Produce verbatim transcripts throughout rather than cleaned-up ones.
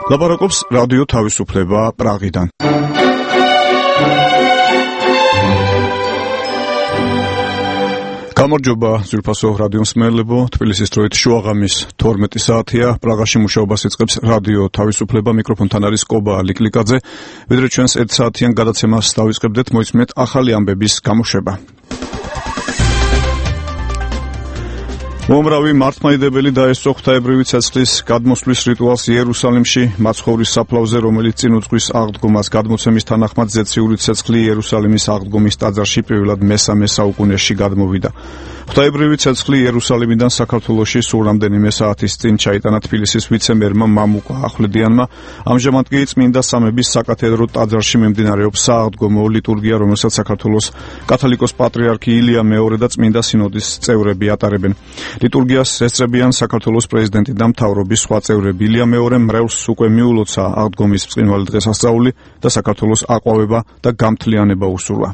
ლაპარაკობს რადიო თავისუფლება პრაღიდან. გამარჯობა ძვირფასო რადიო მსმენელებო, თბილისის დროით შუაღამის თორმეტი საათია, პრაღაში მუშაობას იწყებს რადიო თავისუფლება, მიკროფონთან არის კობა ლიკლიკაძე. ვიდრე ჩვენს ერთ საათიან გადაცემას დავიწყებდეთ, მოისმენთ ახალი ამბების გამოშვება. მომრავი მართლმადიდებელი დაესწრო ღვთაებრივი ცეცხლის გადმოსვლის რიტუალს იერუსალიმში, მაცხოვრის საფლავზე, რომელიც წინ უძღვის აღდგომას. გადმოცემის თანახმად ზეციური ცეცხლი იერუსალიმის აღდგომის ტაძარში პირველად მესამე საუკუნეში გადმოვიდა. ღვთაებრივი ცეცხლი იერუსალიმიდან საქართველოში სულ რამდენიმე საათის წინ ჩაიტანა თბილისის ვიცე-მერმა მამუკა ახვლედიანმა. ამჟამად კი წმინდა სამების საკათედრო ტაძარში მიმდინარეობს სააღდგომო ლიტურგია, რომელსაც საქართველოს კათოლიკოს პატრიარქი ილია მეორე და წმინდა სინოდის წევრები ატარებენ. ლიტურგიას ესწრებიან საქართველოს პრეზიდენტი და მთავრობის სხვა წევრები. ილია მეორემ მრევლს უკვე მიულოცა აღდგომის ბრწყინვალე დღესასწაული და საქართველოს აყვავება და გამთლიანება უსურვა.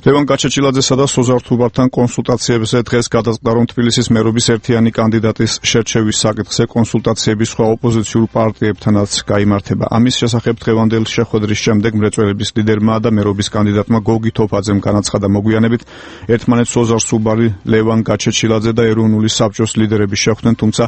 ლევან გაჩეჩილაძესა და სოზარ თუბართან კონსულტაციებზე დღეს გადაწყდა, რომ თბილისის მერობის ერთიანი კანდიდატის შერჩევის საკითხზე კონსულტაციები სხვა ოპოზიციურ პარტიებთანაც გაიმართება. ამის შესახებ დღევანდელ შეხვედრის შემდეგ მრეწველების ლიდერმა და მერობის კანდიდატმა გოგი თოფაძემ განაცხადა მოგვიანებით, ერთმანეთს სოზარ სუბარი, ლევან გაჩეჩილაძე და ეროვნული საბჭოს ლიდერები შეხვდნენ, თუმცა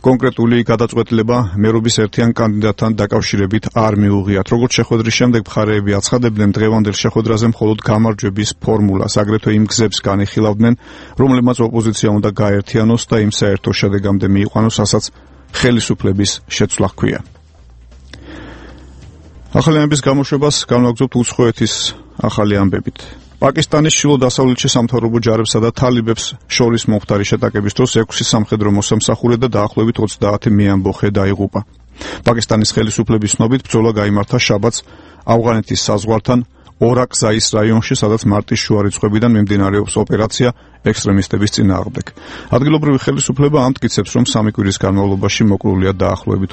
კონკრეტული გადაწყვეტილება მერობის ერთიან კანდიდატთან დაკავშირებით არ მიუღიათ. როგორც შეხვედრის შემდეგ მხარეები აცხადებდნენ, დღევანდელ შეხვედრაზე მხოლოდ გამარჯვების ფორმულას, აგრეთვე იმ გზებს განიხილავდნენ, რომლებმაც ოპოზიცია უნდა გაერთიანოს და იმ საერთო შედეგამდე მიიყვანოს, რასაც ხელისუფლების შეცვლა ჰქვია. ახალი ამბების გამოშვებას განვაგრძობთ უცხოეთის ახალი ამბებით. პაკისტანის ჩრდილო-დასავლეთში სამთავრობო ჯარებსა და თალიბებს შორის მომხდარი შეტაკების დროს ექვსი სამხედრო მოსამსახურე და დაახლოებით ოცდაათი მეამბოხე დაიღუპა. პაკისტანის ხელისუფლების ცნობით ბრძოლა გაიმართა შაბათს ავღანეთის საზღვართან ორაკზაის რაიონში, სადაც მარტის შუა რიცხვებიდან მიმდინარეობს ოპერაცია ექსტრემისტების წინააღმდეგ. ადგილობრივი ხელისუფლება ამტკიცებს, რომ სამი კვირის განმავლობაში მოკლულია დაახლოებით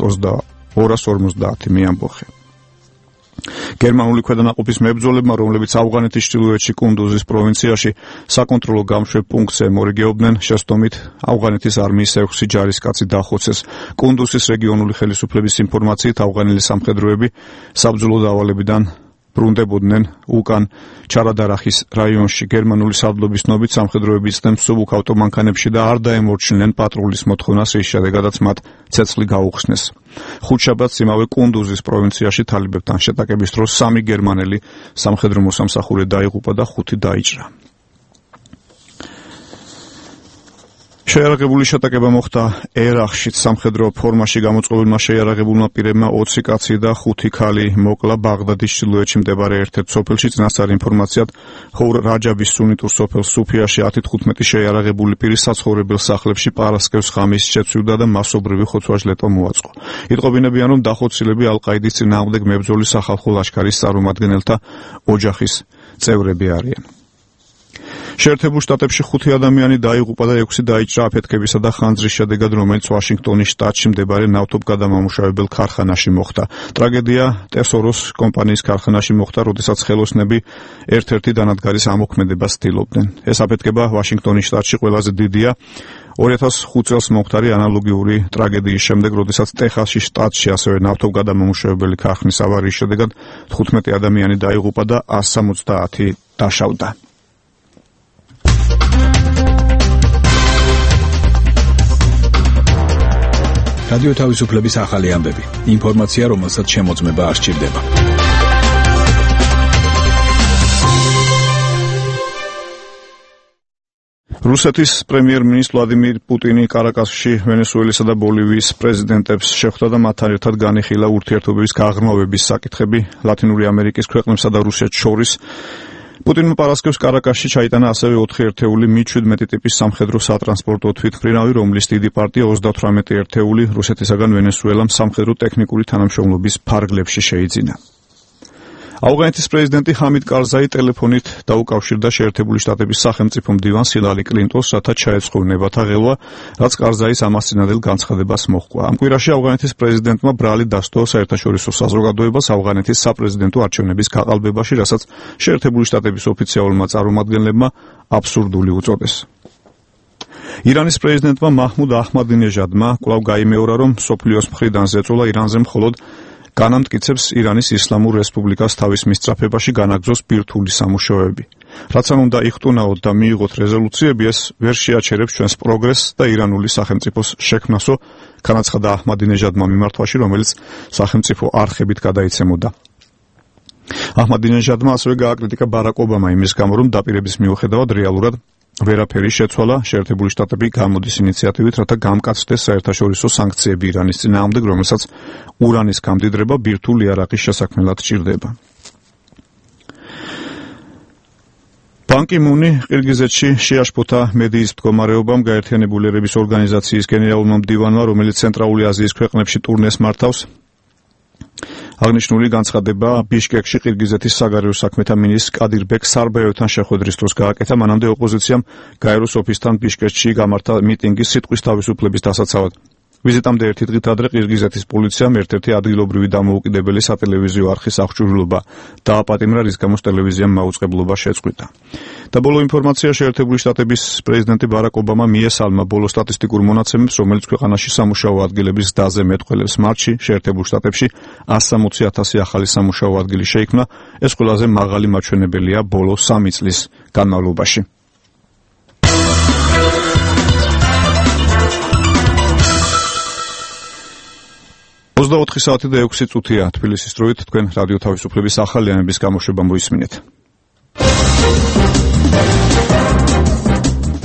ორას ორმოცდაათი მეამბოხე. გერმანული ქვედანაყოფის მებრძოლებმა, რომლებიც ავღანეთის ჩრდილოეთში კუნდუზის პროვინციაში საკონტროლო გამშვებ პუნქტზე მორიგეობდნენ, შესტომით ავღანეთის არმიის ექვსი ჯარისკაცი დახოცეს. კუნდუზის რეგიონული ხელისუფლების ინფორმაციით, ავღანელი სამხედროები საბრძოლო დავალებიდან ბრუნდებოდნენ უკან ჩარადარახის რაიონში. გერმანული სარდლობის ცნობით, სამხედროები იცდნენ მსუბუქ ავტომანქანებში და არ დაემორჩინენ პატრულის მოთხოვნას, რის შედეგადაც მათ ცეცხლი გაუხსნეს. ხუთშაბათს იმავე კუნდუზის პროვინციაში თალიბებთან შეტაკების დროს სამი გერმანელი სამხედრო მოსამსახურე დაიღუპა და ხუთი დაიჭრა. შეიარაღებული შეტაკება მოხდა ერახში. სამხედრო ფორმაში გამოწყობილმა შეიარაღებულმა პირებმა ოცი კაცი და ხუთი ქალი მოკლა ბაღდადის ჩრდილოეთში მდებარე ერთ-ერთ სოფელში. წინასწარ ინფორმაციად, ხოურ რაჯაბის სუნიტურ სოფელ სუფიაში ათი თხუთმეტი შეიარაღებული პირი საცხოვრებელ სახლებში პარასკევს ღამის შეცვიდა და მასობრივი ხოცვა-ჟლეტა მოაწყო. იტყობინებიან, რომ დახოცილები ალ-ყაიდის წინააღმდეგ მებრძოლი სახალხო ლაშქარის წარმომადგენელთა ოჯახის წევრები არიან. შეერთებულ შტატებში ხუთი ადამიანი დაიღუპა და ექვსი დაიჭრა აფეთქებისა და ხანძრის შედეგად, რომელიც ვაშინგტონის შტატში მდებარე ნავთობგადამამუშავებელ ქარხანაში მოხდა. ტრაგედია ტესოროს კომპანიის ქარხანაში მოხდა, როდესაც ხელოსნები ერთ-ერთი დანადგარის ამოქმედებას ცდილობდნენ. ეს აფეთქება ვაშინგტონის შტატში ყველაზე დიდია ორი ათას ხუთ წელს მომხდარი ანალოგიური ტრაგედიის შემდეგ, როდესაც ტეხასის შტატში ასევე ნავთობგადამამუშავებელი ქარხნის ავარიის შედეგად თხუთმეტი ადამიანი დაიღუპა და ასი სამოცდაათი დაშავდა. რადიო თავისუფლების ახალი ამბები. ინფორმაცია, რომელსაც შემოწმება არ სჭირდება. რუსეთის პრემიერ-მინისტრ ვლადიმირ პუტინი კარაკასში ვენესუელისა და ბოლივიის პრეზიდენტებს შეხვდა და მათთან ერთად განიხილა ურთიერთობების გაღრმავების საკითხები ლათინური ამერიკის ქვეყნებსა და რუსეთს შორის. პუტინმა პარასკევს კარაკასში ჩაიტანა ასევე ოთხი ერთეული მი შვიდმეტი ტიპის სამხედრო სატრანსპორტო თვითმფრინავი, რომლის დიდი პარტია ოცდათვრამეტი ერთეული რუსეთისაგან ვენესუელამ სამხედრო ტექნიკური თანამშრომლობის ფარგლებში შეიძინა. ავღანეთის პრეზიდენტი ჰამიდ კარზაი ტელეფონით დაუკავშირდა შეერთებული შტატების სახელმწიფო მდივანს ჰილარი კლინტონს, რათა ჩაეწყურნებათა ღელვა, რაც კარზაის ამას წინადელ განცხადებას მოჰყვა. ამ კვირაში ავღანეთის პრეზიდენტმა ბრალი დასდო საერთაშორისო საზოგადოებას ავღანეთის საპრეზიდენტო არჩევნების გაყალბებაში, რასაც შეერთებული შტატების ოფიციალურმა წარმომადგენლებმა აბსურდული უწოდეს. ირანის პრეზიდენტმა მაჰმუდ აჰმადინეჟადმა კვლავ გაიმეორა, რომ მსოფლიოს მხრიდან ზეწოლა ირანზე მხოლოდ განამტკიცებს ირანის ისლამურ რესპუბლიკას თავის მისწრაფებაში განაგრძოს ბირთვული სამუშაოები. რაც არ უნდა იხტუნაოთ და მიიღოთ რეზოლუციები, ეს ვერ შეაჩერებს ჩვენს პროგრესს და ირანული სახელმწიფოს შექმნასო, განაცხადა აჰმადინეჟადმა მიმართვაში, რომელიც სახელმწიფო არხებით გადაიცემოდა. აჰმადინეჟადმა ასევე გააკრიტიკა ბარაკ ობამა იმის გამო, რომ დაპირების მიუხედავად რეალურად ვერაფერი შეცვალა, შეერთებული შტატები გამოდის ინიციატივით, რათა გამკაცდეს საერთაშორისო სანქციები ირანის წინააღმდეგ, რომელსაც ურანის გამდიდრება ბირთვულ იარაღის შესაქმნელად ჭირდება. ბან კი მუნი ყირგიზეთში შეაშფოთა მედიის მდგომარეობამ, გაერთიანებული ერების ორგანიზაციის გენერალურმა მდივანმა, რომელიც ცენტრალური აზიის ქვეყნებში ტურნეს მართავს, აღნიშნული განცხადება ბიშკეკში ყირგიზეთის საგარეო საქმეთა მინისტრ კადირბეკ სარბაევთან შეხვედრის დროს გააკეთა. მანამდე ოპოზიციამ გაეროს ოფისთან ბიშკეკში გამართა მიტინგი სიტყვის თავისუფლების დასაცავად. ვიზიტამდე ერთი დღით ადრე ყირგიზეთის პოლიციამ ერთ-ერთი ადგილობრივი დამოუკიდებელი სატელევიზიო არხის აღჭურვილობა დააპატიმრა, რის გამოც ტელევიზიამ მაუწყებლობა შეწყვიტა. და ბოლო ინფორმაცია, შეერთებული შტატების პრეზიდენტი ბარაკ ობამა მიესალმა ბოლო სტატისტიკურ მონაცემებს, რომელიც ქვეყანაში სამუშაო ადგილების ზრდაზე მეტყველებს. მარტში შეერთებულ შტატებში εκατს სამოცი ათასი ახალი სამუშაო ადგილი შეიქმნა, ეს ყველაზე მაღალი მაჩვენებელია ბოლო სამი წლის განმავლობაში. ოცდაოთხი საათი და ექვსი წუთია თბილისის დროით, თქვენ რადიო თავისუფლების ახალი ამების გამოშვება მოისმინეთ.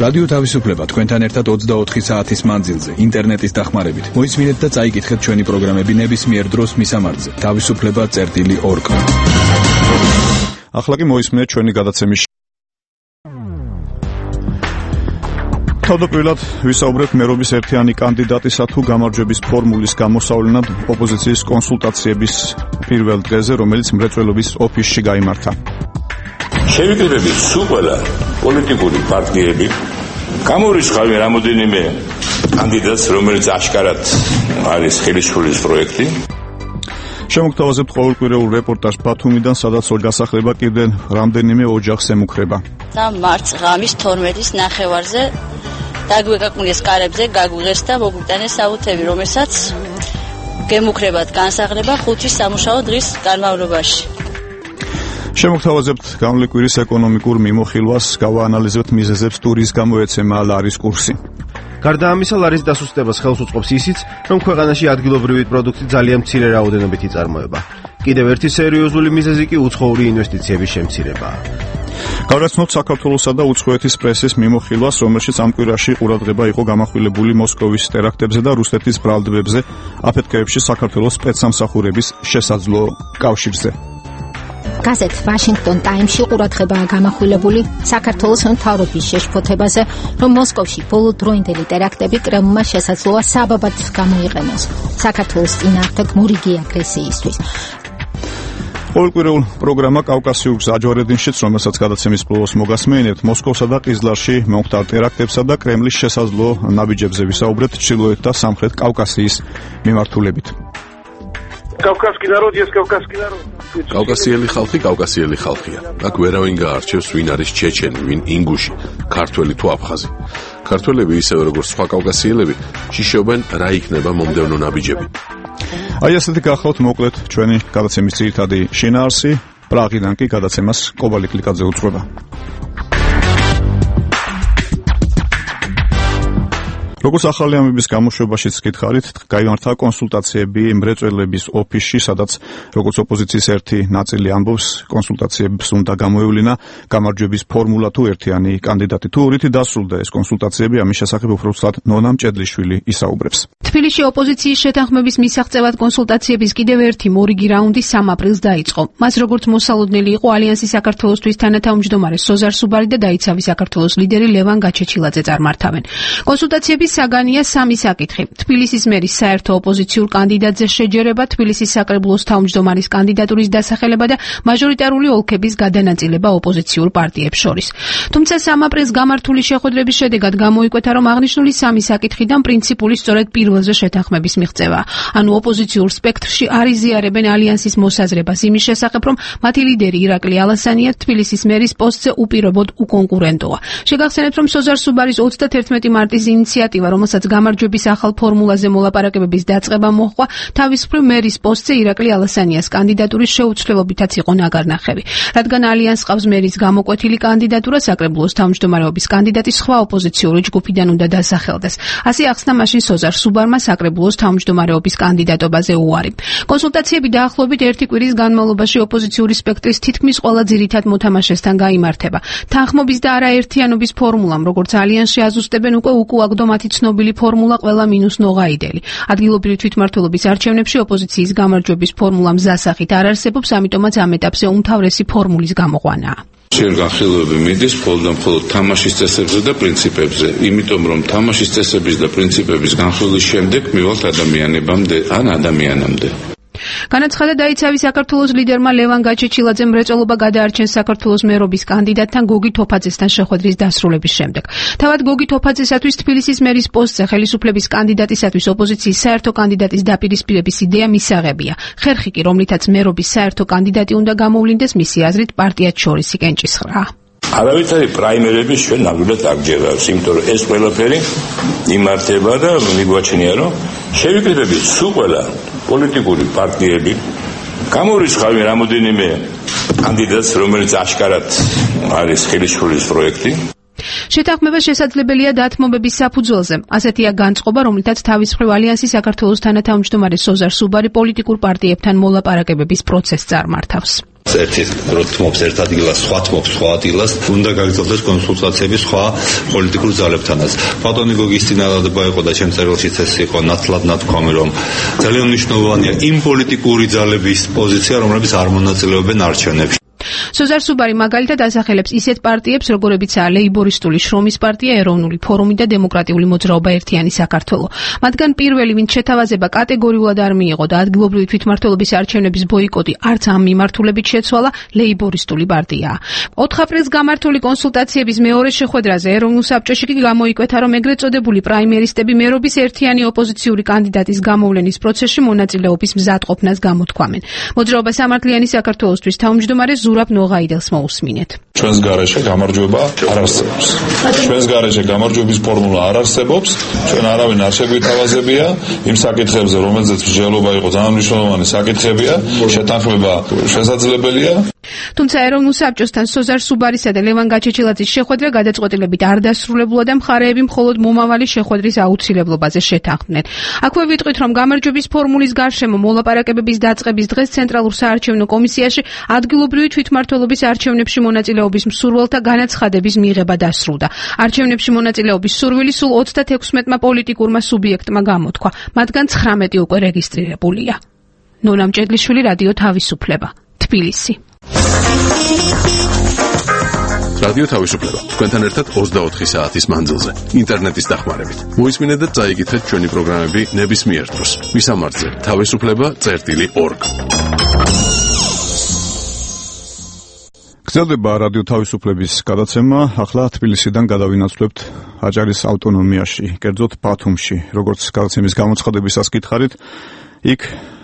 რადიო თავისუფლება თქვენთან ერთად ოცდაოთხი საათის მანძილზე, ინტერნეტის დახმარებით. მოისმინეთ და წაიკითხეთ ჩვენი პროგრამები ნებისმიერ დროს მისამართზე. თავისუფლება წერტილი ორ კა. ახლა კი მოისმინეთ ჩვენი გადაცემის. თავდაპირველად ვისაუბრებთ მერობის ერთიანი კანდიდატისა თუ გამარჯვების ფორმულის გამოსავლენად ოპოზიციის კონსულტაციების პირველ დღეზე, რომელიც მრეწველობის ოფისში გაიმართა. შევიკრიბებით სულ ყველა პოლიტიკური პარტიები, გამორიცხავენ რამოდენიმე კანდიდატს, რომელიც აშკარად არის ხელისუფლის პროექტი. შემოგთავაზებთ ყოველკვირეულ რეპორტაჟ ბათუმიდან, სადაც გასახლება კიდე რამდენიმე ოჯახს ემუქრება. და მარტს ღამის თორმეტის ნახევარზე დაგვეკაკვნეს კარებზე, გაგვიღეს და მოგვიტანეს აუთები, რომელსაც გემუქრებათ განსაღლება ხუთი სამუშაო დღის განმავლობაში. შემოგთავაზებთ გამოვლის კვირის ეკონომიკურ მიმოხილვას, გავაანალიზებთ მიზეზებს თუ რის გამო ეცემა ლარის კურსი. გარდა ამისა, ლარის დასუსტებას ხელს უწყობს ისიც, რომ ქვეყანაში ადგილობრივი პროდუქტი ძალიან მცირე რაოდენობით იწარმოება. კიდევ ერთი სერიოზული მიზეზი კი უცხოური ინვესტიციების შემცირებაა. გავაცნოთ საქართველოსა და უცხოეთის პრესის მიმოხილვას, რომელშიც ამ კვირაში ყურადღება იყო გამახვილებული მოსკოვის ტერაქტებზე და რუსეთის ბრალდებებზე აფეთქეებში საქართველოს სპეცსამსახურების შესაძლო კავშირზე. გაზეთ ვაშინგტონ ტაიმსში ყურადღებაა გამახვილებული საქართველოს მთავრობის შეშფოთებაზე, რომ მოსკოვში ბოლოდროინდელი ტერაქტები კრემლმა შესაძლოა საბაბად გამოიყენოს საქართველოს წინააღმდეგ მორიგი აგრესიისთვის. ყოველკვირეულ პროგრამა კავკასიურ გზაჯვარედინშიც, რომელსაც გადაცემის ბოლოს მოგასმენებთ, მოსკოვსა და ყიზლარში მომხდარ ტერაქტებსა და კრემლის შესაძლო ნაბიჯებზე ვისაუბრეთ ჩრდილოეთ და სამხრეთ კავკასიის მიმართულებით. კავკასკი ნაროდი ეს კავკასკი ნაროდი. კავკასიელი ხალხი კავკასიელი ხალხია. აქ ვერავინ გაარჩევს, ვინ არის ჩეჩენი, ვინ ინგუში, ქართველი თუ აფხაზი. ქართველები ისევე როგორც სხვა კავკასიელები შიშობენ რა იქნება მომდევნო ნაბიჯები. აი ასეთი გახლავთ მოკლედ ჩვენი გადაცემის ძირითადი შინაარსი. პრაღიდან კი გადაცემას კობალი კლიკაძე უძღვება. როგორც ახალი ამების გამოშვებაშიც გითხარით, გაიმართა კონსულტაციები მრეწველების ოფისში, სადაც როგორც ოპოზიციის ერთი ნაწილი ამბობს, კონსულტაციებს უნდა გამოევლინა გამარჯვების ფორმულა თუ ერთიანი კანდიდატი. თუ ორითი დასრულდა ეს კონსულტაციები, ამის შესახებ უფრო ცუდად ნონა მჭედლიშვილი ისაუბრებს. თბილისში ოპოზიციის შეთანხმების მისაღწევად კონსულტაციების კიდევ ერთი მორიგი რაუნდი სამ აპრილს დაიწყო. მას როგორც მოსალოდნელი იყო ალიანსი საქართველოსთვის თანათავმჯდომარე სოზარ სუბარი და დაიცავი საქართველოს ლიდერი ლევან გაჩეჩილაძე წარმართავენ. კონსულტაციების საგანია სამი საკითხი. თბილისის მერის საერთო ოპოზიციურ კანდიდატზე შეჯერება, თბილისის საკრებულოს თავმჯდომარის კანდიდატურის დასახელება და მაჟორიტარული ოლქების გადანაწილება ოპოზიციურ პარტიებს შორის. თუმცა სამი აპრილს გამართული შეხვედრების შედეგად გამოიკვეთა, რომ აღნიშნული სამი საკითხიდან პრინციპული სწორედ პირველზე შეთანხმების მიღწევა. ანუ ოპოზიციურ სპექტრში არ იზიარებენ ალიანსის მოსაზრებას იმის შესახებ, რომ მათი ლიდერი ირაკლი ალასანია თბილისის მერის პოსტზე უპირობოდ უკონკურენტოა. შეგახსენებთ, რომ სოზარ სუბარის ოცდათერთმეტი მარტის ინიციატივა, რომელსაც გამარჯვების ახალ ფორმულაზე მოლაპარაკებების დაწყება მოჰყვა, თავის მხრივ მერის პოსტზე ირაკლი ალასანიას კანდიდატურის შეუცვლელობითაც იყო ნაგარნახევი. რადგან ალიანსს ყავს მერის გამოკვეთილი კანდიდატურა, საკრებულოს თავმჯდომარეობის კანდიდატი სხვა ოპოზიციური ჯგუფიდან უნდა დასახელდეს. ასე ახსნა მაშინ სოზარ სუბარმა საკრებულოს თავმჯდომარეობის კანდიდატობაზე უარი. კონსულტაციები დაახლოებით ერთი კვირის განმავლობაში ოპოზიციური სპექტრის თითქმის ყველა ძირითად მოთამაშესთან გაიმართება. თანხმობის და არაერთიანობის ფორმულამ, როგორც ალიანსში აზუსტებენ, უკვე უკუაგდო მათი ცნობილი ფორმულა ყველა მინუს ნოღაიდელი. ადგილობრივი თვითმმართველობის არჩევნებში ოპოზიციის გამარჯვების ფორმულა მზასახით არ არსებობს, ამიტომაც ამ ეტაპზე უმთავრესი ფორმულის გამოყვანაა. შენ განხილვები მიდის მხოლოდ და მხოლოდ თამაშის წესებზე და პრინციპებზე, იმიტომ რომ თამაშის წესების და პრინციპების განხილვის შემდეგ მივალთ ადამიანებამდე ან ადამიანამდე. განაცხადა დაიცავი საქართველოს ლიდერმა ლევან გაჩეჩილაძემ მრეწველობა გადაარჩენს საქართველოს მერობის კანდიდატთან გოგი თოფაძესთან შეხვედრის დასრულების შემდეგ. თავად გოგი თოფაძესათვის თბილისის მერის პოსტზე ხელისუფლების კანდიდატისათვის ოპოზიციის საერთო კანდიდატის დაპირისპირების იდეა მისაღებია. ხერხი კი, რომლითაც მერობის საერთო კანდიდატი უნდა გამოვლინდეს, მისი აზრით პარტიად შორისი კენჭისყრაა. არავითარი პრაიმერები ჩვენ ნამდვილად არ გჯერავს, იმიტომ რომ ეს ყველაფერი იმართება და მიგვაჩნია, რომ შევიკრიბებით სულ ყველა პოლიტიკური პარტიები გამორიცხავენ რამოდენიმე კანდიდატს, რომელიც აშკარად არის ხელისუფლების პროექტი. შეთანხმება შესაძლებელია დათმობების საფუძველზე. ასეთია განწყობა, რომლითაც თავის მხრივ ალიანსი საქართველოს თანათავმჯდომარე სოზარ სუბარი პოლიტიკურ პარტიებთან მოლაპარაკებების პროცესს წარმართავს. ერთი თმობს ერთ ადგილას, სხვა თმობს სხვა ადგილას, უნდა გაგრძელდეს კონსულტაციები სხვა პოლიტიკურ ძალებთანაც. ბატონი გოგის წინადადება იყო და ჩემ წერილშიც ეს იყო ნათლად ნათქვამი, რომ ძალიან მნიშვნელოვანია იმ პოლიტიკური ძალების პოზიცია, რომლებიც არ მონაწილეობენ არჩევნებში. სოზარ სუბარი მაგალითად ასახელებს ისეთ პარტიებს, როგორებიცაა ლეიბორისტული შრომის პარტია, ეროვნული ფორუმი და დემოკრატიული მოძრაობა ერთიანი საქართველო. მათგან პირველი, ვინც შეთავაზება კატეგორიულად არ მიიღო და ადგილობრივი თვითმმართველობის არჩევნების ბოიკოტი არც ამ მიმართულებით შეცვალა, ლეიბორისტული პარტიაა. ოთხ აპრილს გამართული კონსულტაციების მეორე შეხვედრაზე ეროვნულ საბჭოში კი გამოიკვეთა, რომ ეგრეთ წოდებული პრაიმერისტები მერობის ერთიანი ოპოზიციური კანდიდატის გამოვლენის პროცესში მონაწილეობის მზადყოფნას გამოთქვამენ. მოძრაობა სამართლიანი საქართველოსთვის თავმჯდომარე ზურაბ ნოღაიდელს მოусმინეთ. ჩვენს გარეშე გამარჯვება არ არსებობს. ჩვენს გარეშე გამარჯვების ფორმულა არ არსებობს. ჩვენ არავინ არ შეგვითავაზებია იმ საკითხებზე, რომელზეც მსჯელობა იყო ძალიან მნიშვნელოვანი საკითხებია, შეთანხმება შესაძლებელია. თუმცა ეროვნულ საბჭოსთან სოზარ სუბარისა და ლევან გაჩეჩილაძის შეხვედრა გადაწყვეტილებით არ დასრულებულა და მხარეები მხოლოდ მომავალი შეხვედრის აუცილებლობაზე შეთანხმდნენ. აქვე ვიტყვით, რომ გამარჯვების ფორმულის გარშემო მოლაპარაკებების დაწყების დღეს ცენტრალურ საარჩევნო კომისიაში ადგილობრივი თვითმმართველობის არჩევნებში მონაწილეობის მსურველთა განაცხადების მიღება დასრულდა. არჩევნებში მონაწილეობის სურვილი სულ ოცდათექვსმეტმა პოლიტიკურმა სუბიექტმა გამოთქვა, მათგან ცხრამეტი უკვე რეგისტრირებულია. ნონა მჭედლიშვილი, რადიო თავისუფლება, თბილისი. რადიო თავისუფლება. თქვენთან ერთად ოცდაოთხი საათის მანძილზე. ინტერნეტის დახმარებით. მოისმინეთ და წაიკითხეთ ჩვენი პროგრამები ნებისმიერ დროს. მისამართზე თავისუფლება წერტილი ორგ. გრძელდება რადიო თავისუფლების გადაცემა. ახლა თბილისიდან გადავინაცვლებთ აჭარის ავტონომიაში, კერძოდ ბათუმში. როგორც გადაცემის გამოცხადებისას გითხარით, იქ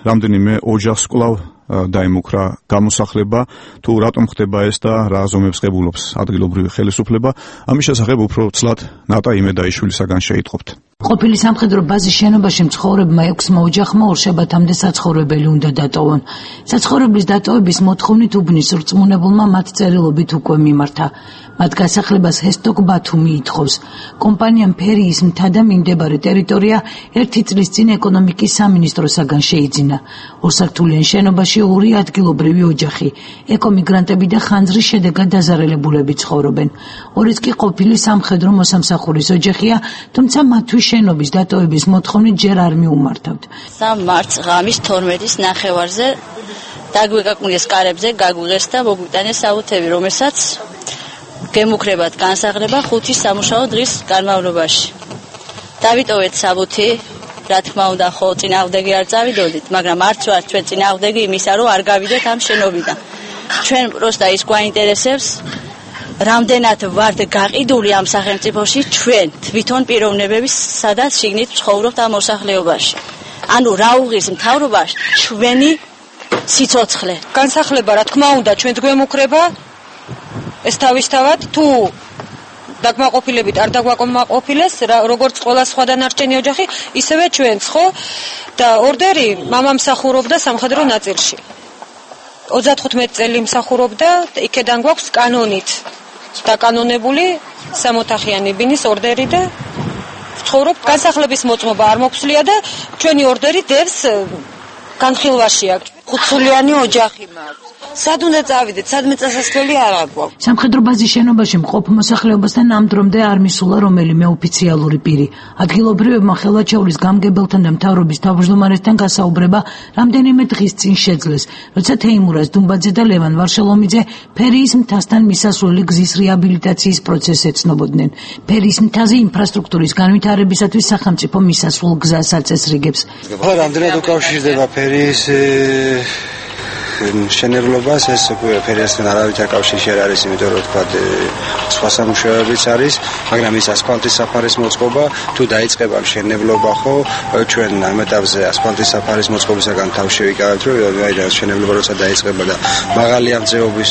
რამდენიმე ოჯახს კვლავ დაიმუქრა გამოსახლება, თუ რატომ ხდება ეს და რა აზომებს ღებულობს ადგილობრივი ხელისუფლება, ამის შესახებ უფრო ცლად ნატა იმედაიშვილისაგან შეიტყობთ. ყოფილი სამხედრო ბაზის შენობაში მცხოვრებმა ექვსმა ოჯახმა ორშაბათამდე საცხოვრებელი უნდა დატოვონ. საცხოვრებლის დატოვების მოთხოვნით უბნის რწმუნებულმა მათ წერილობით უკვე მიმართა. მათ გასახლებას ჰესტოკ ბათუმი ითხოვს. კომპანიამ ფერიის მთა და მიმდებარე ტერიტორია ერთი წლის წინ ეკონომიკის სამინისტროსაგან შეიძინა. ორსართულიან შენობაში ორი ადგილობრივი ოჯახი, ეკომიგრანტები და ხანძრის შედეგად დაზარალებულები ცხოვრობენ. ორიც კი ყოფილი სამხედრო მოსამსახურის ოჯახია, თუმცა მათთვის შენობის დატოვების მოთხოვნით ჯერ არ მიუმართავთ. სამი მარტს ღამის თორმეტის ნახევარზე დაგვეკაკვნეს კარებზე, გაგვიღეს და მოგვიტანეს აუთები, რომელსაც გემუქრებათ განსაღლება ხუთი სამუშაო დღის განმავლობაში. დავიტოვეთ საბუთი, რა თქმა უნდა, ხო წინააღმდეგი არ წავიდოდით, მაგრამ არც ვარ ჩვენ წინააღმდეგი იმისა, რომ არ გავიდეთ ამ შენობიდან. ჩვენ პროსტა ის გვაინტერესებს, რამდენად ვართ გაყიდული ამ სახელმწიფოში ჩვენ თვითონ პიროვნებები, სადაც შიგნით ცხოვრობთ ამ მოსახლეობაში. ანუ რა უღირს მთავრობაში ჩვენი სიცოცხლე. განსახლება, რა თქმა უნდა, ჩვენ გვემუქრება ეს თავისთავად თუ დაგმაყოფილებით არ დაგვაკმაყოფილეს, როგორც ყველა სხვა დანარჩენი ოჯახი, ისევე ჩვენც, ხო? და ორდერი მამამ მსახურობდა სამხედრო ნაწილში. ოცდათხუთმეტი წელი მსახურობდა, იქედან გვაქვს კანონით დაკანონებული სამოთახიანი ბინის ორდერი და ვცხოვრობ, განსახლების მოწმობა არ მოგვსვლია და ჩვენი ორდერი დევს განხილვაშია. ხუთსულიანი ოჯახი მაქვს. სად უნდა წავიდეთ, სადმე წასასვლელი არ აგვაქვს. სამხედრო ბაზის შენობაში მყოფ მოსახლეობასთან ამ დრომდე არ მისულა რომელიმე ოფიციალური პირი. ადგილობრივებმა ხელვაჩაურის გამგებელთან და მთავრობის თავმჯდომარესთან გასაუბრება რამდენიმე დღის წინ შეძლეს, როცა თეიმურაზ დუმბაძე და ლევან ვარშელომიძე ფერიის მთასთან მისასვლელი გზის რეაბილიტაციის პროცესს ეცნობოდნენ. ფერიის მთაზე ინფრასტრუქტურის განვითარებისათვის სახელმწიფო მისასვლელ გზას აწესრიგებს. რამდენად უკავშირდება ფერიის შენებლობას, ეს ფერიასთან არავითარ კავშირში არ არის, იმიტომ რომ თქვა სხვა სამუშაოებიც არის, მაგრამ ის ასფალტის საფარის მოწყობა თუ დაიწყება მშენებლობა, ხო, ჩვენ ამ ეტაპზე ასფალტის საფარის მოწყობისაგან თავ შევიკავებთ, რომ აიდან მშენებლობა როცა დაიწყება და მაღალი ამწეობის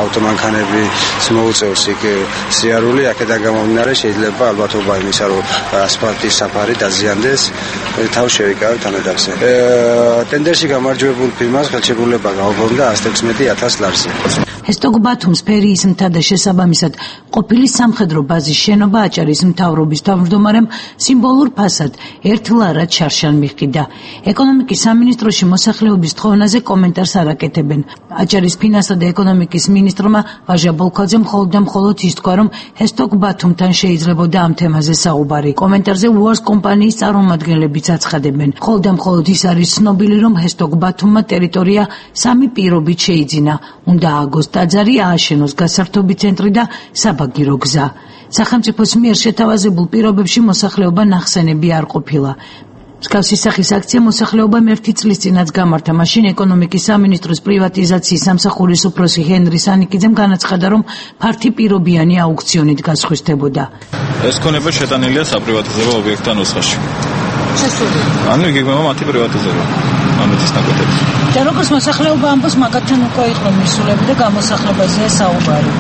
ავტომანქანები მოუწევს იქ სიარული, აქედან გამომდინარე შეიძლება ალბათობა იმისა, რომ ასფალტის საფარი დაზიანდეს, თავ შევიკავებთ ამ ეტაპზე. ტენდერში გამარჯვებულ ფირმას ხელშეკრულება გაუგონდა ათს ოცდაექვსი ათას ლარზე. ჰესტოგ ბათუმს ფერიის მთა და შესაბამისად ყოფილი სამხედრო ბაზის შენობა აჭარის მთავრობის თავმჯდომარემ სიმბოლურ ფასად ერთ ლარად შარშან მიჰყიდა. ეკონომიკის სამინისტროში მოსახლეობის თხოვნაზე კომენტარს არ აკეთებენ. აჭარის ფინანსთა და ეკონომიკის მინისტრმა ვაჟა ბოლქვაძემ მხოლოდ და მხოლოდ ის თქვა, რომ ჰესტოგ ბათუმთან შეიძლებოდა ამ თემაზე საუბარი. კომენტარზე უარს კომპანიის წარმომადგენლებიც აცხადებენ. მხოლოდ და მხოლოდ ის არის ცნობილი, რომ ჰესტოგ ბათუმმა ტერიტორია სამი პირობით შეიძინა. უნდა ააგოს ტაძარი, ააშენოს გასართობი ცენტრი და საბაგირო გზა. სახელმწიფოს მიერ შეთავაზებულ პირობებში მოსახლეობა ნახსენები არ ყოფილა. მსგავსი სახის აქცია მოსახლეობამ ერთი წლის წინაც გამართა. მაშინ ეკონომიკის სამინისტროს პრივატიზაციის სამსახურის უფროსი ჰენრი სანიკიძემ განაცხადა, რომ ფართი პირობიანი აუქციონით გასხვისდებოდა. ეს ქონება შეტანილია საპრივატიზებო ობიექტთა ნუსხაში. ანუ იგეგმება მათი პრივატიზება. ამის ნაკეთებს. და როგორც მოსახლეობა ამბობს, მაგათთან უკვე იყო მისულები და გამოსახლებაზეა საუბარი.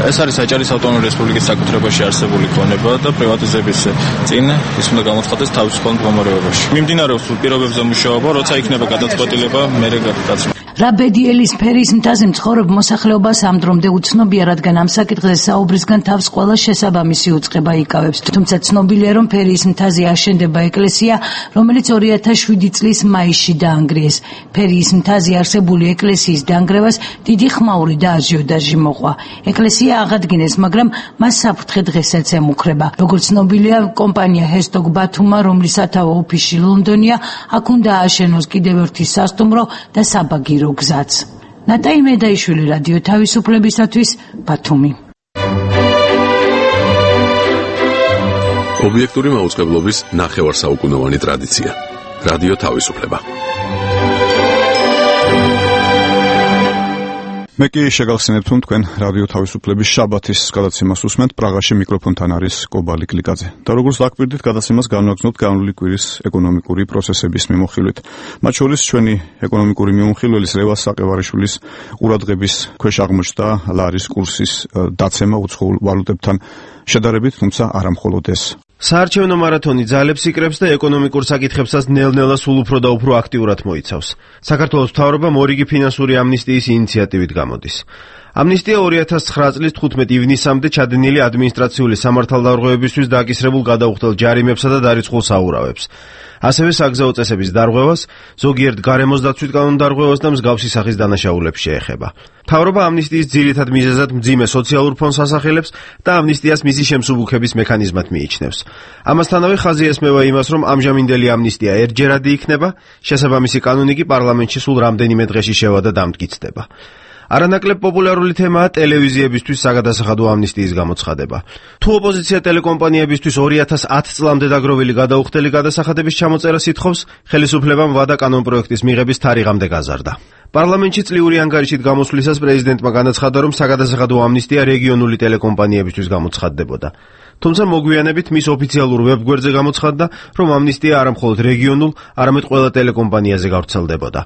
ეს არის აჭარის ავტონომიური რესპუბლიკის საკუთრებაში არსებული ქონება და პრივატიზების წინ ის უნდა გამოცხადდეს თავისუფალ მდგომარეობაში. მიმდინარეობს პირობებზე მუშაობა, როცა იქნება გადაწყვეტილება, მერე გადაწყვეტილება. რა ბედიელის ფერიის მთაზე მცხოვრებ მოსახლეობას ამ დრომდე უცნობია, რადგან ამ საკითხზე საუბრისგან თავს ყველა შესაბამისი უწყება იკავებს. თუმცა ცნობილია, რომ ფერიის მთაზე აშენდება ეკლესია, რომელიც ორი ათას შვიდი წლის მაისში დაანგრიეს. ფერიის მთაზე არსებული ეკლესიის დანგრევას დიდი ხმაური და აჟიოტაჟი მოყვა. ეკლესია აღადგინეს, მაგრამ მას საფრთხე დღესაც ემუქრება. როგორც ცნობილია, კომპანია ჰესტოგ ბათუმმა, რომლის სათავო ოფისი ლონდონია, აქ უნდა ააშენოს კიდევ ერთი სასტუმრო და საბაგირო გზაც. ნატაი მედაიშვილი, რადიო თავისუფლებისათვის, ბათუმი. ობიექტური მაუწყებლობის ნახევარსაუკუნოვანი ტრადიცია. რადიო თავისუფლება. მე კი შეგახსენებთ, რომ თქვენ რადიო თავისუფლების შაბათის გადაცემას უსმენთ. პრაღაში მიკროფონთან არის კობალი კლიკაძე. და როგორც დაკვირდით, გადაცემას განვაგრძნობთ განვლილი კვირის ეკონომიკური პროცესების მიმოხილვით. მათ შორის ჩვენი ეკონომიკური მიმოხილველის ლევას საყევარიშვილის ყურადღების ქვეშ აღმოჩნდა ლარის კურსის დაცემა უცხოურ ვალუტებთან შედარებით, თუმცა არა მხოლოდ ეს. საარჩევნო მარათონი ძალებს იკრებს და ეკონომიკურ საკითხებსაც ნელ-ნელა სულ უფრო და უფრო აქტიურად მოიცავს. საქართველოს მთავრობამ ორიგი ფინანსური ამნისტიის ინიციატივით გამოდის. ამნისტია ორი ათას ცხრა წლის თხუთმეტი ივნისამდე ჩადენილი ადმინისტრაციული სამართალდარღვევებისთვის დაკისრებულ გადაუხდელ ჯარიმებსა და დარიცხულ საურავებს. ასევე საგზაო წესების დარღვევას, ზოგიერთ გარემოს დაცვით კანონდარღვევას და მსგავსი სახის დანაშაულებს შეეხება. მთავრობა ამნისტიის ძირითად მიზეზად მძიმე სოციალურ ფონდს ასახელებს და ამნისტიას მისი შემსუბუქების მექანიზმად მიიჩნევს. ამასთანავე ხაზი ესმევა იმას, რომ ამჟამინდელი ამნისტია ერთჯერადი იქნება, შესაბამისი კანონი კი პარლამენტში სულ რამდენიმე დღეში შევა და დამტკიცდება. არანაკლებ პოპულარული თემაა ტელევიზიებისთვის საგადასახადო ამნისტიის გამოცხადება. თუ ოპოზიცია ტელეკომპანიებისთვის ორი ათას ათი წლამდე დაგროვილი გადაუხდელი გადასახადების ჩამოწერა სითხოვს, ხელისუფლებამ ვადა კანონპროექტის მიღების თარიღამდე გაზარდა. პარლამენტში წლიური ანგარიშით გამოსვლისას პრეზიდენტმა განაცხადა, რომ საგადასახადო ამნისტია რეგიონული ტელეკომპანიებისთვის გამოცხადდებოდა. თუმცა მოგვიანებით მის ოფიციალურ ვებგვერდზე გამოცხადდა, რომ ამნისტია არა მხოლოდ რეგიონულ, არამედ ყველა ტელეკომპანიაზე გავრცელდებოდა.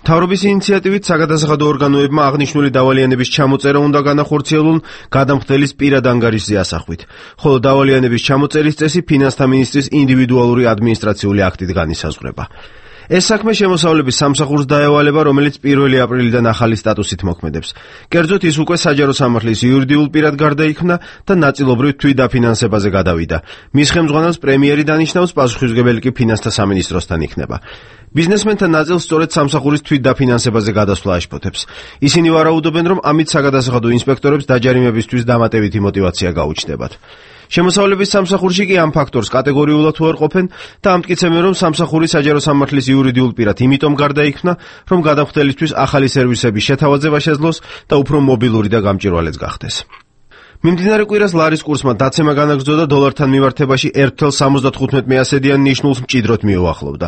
მთავრობის ინიციატივით საგადასახადო ორგანოებმა აღნიშნული დავალიანების ჩამოწერა უნდა განახორციელონ გადამხდელის პირად ანგარიშზე ასახვით, ხოლო დავალიანების ჩამოწერის წესი ფინანსთა მინისტრის ინდივიდუალური ადმინისტრაციული აქტით განისაზღვრება. ეს საქმე შემოსავლების სამსახურს დაევალება, რომელიც პირველი აპრილიდან ახალი სტატუსით მოქმედებს. კერძოდ ის უკვე საჯარო სამართლის იურიდიულ პირად გარდაიქმნა და ნაწილობრივ თვითდაფინანსებაზე გადავიდა. მის ხელმძღვანელს პრემიერი დანიშნავს, პასუხისმგებელი კი ფინანსთა სამინისტროსთან იქნება. ბიზნესმენთა ნაწილს სწორედ სამსახურის თვითდაფინანსებაზე გადასვლა აშფოთებს. ისინი ვარაუდობენ, რომ ამით საგადასახადო ინსპექტორებს დაჯარიმებისთვის დამატებითი мотиваცია გაუჩნდებათ. შემოსავლების სამსახურში კი ამ ფაქტორს კატეგორიულად უარყოფენ და ამტკიცებენ, რომ სამსახური საჯარო სამართლის იურიდიულ პირად იმიტომ გარდაიქმნა, რომ გადამხდელისთვის ახალი სერვისების შეთავაზება შეძლოს და უფრო მობილური და გამჭვირვალეც გახდეს. მიმდინარე კვირას ლარის კურსმა დაცემა განაგრძო და დოლართან მიმართებაში ერთ ათას ოცდათხუთმეტ მეასედიან ნიშნულს მჭიდროდ მიუახლოვდა.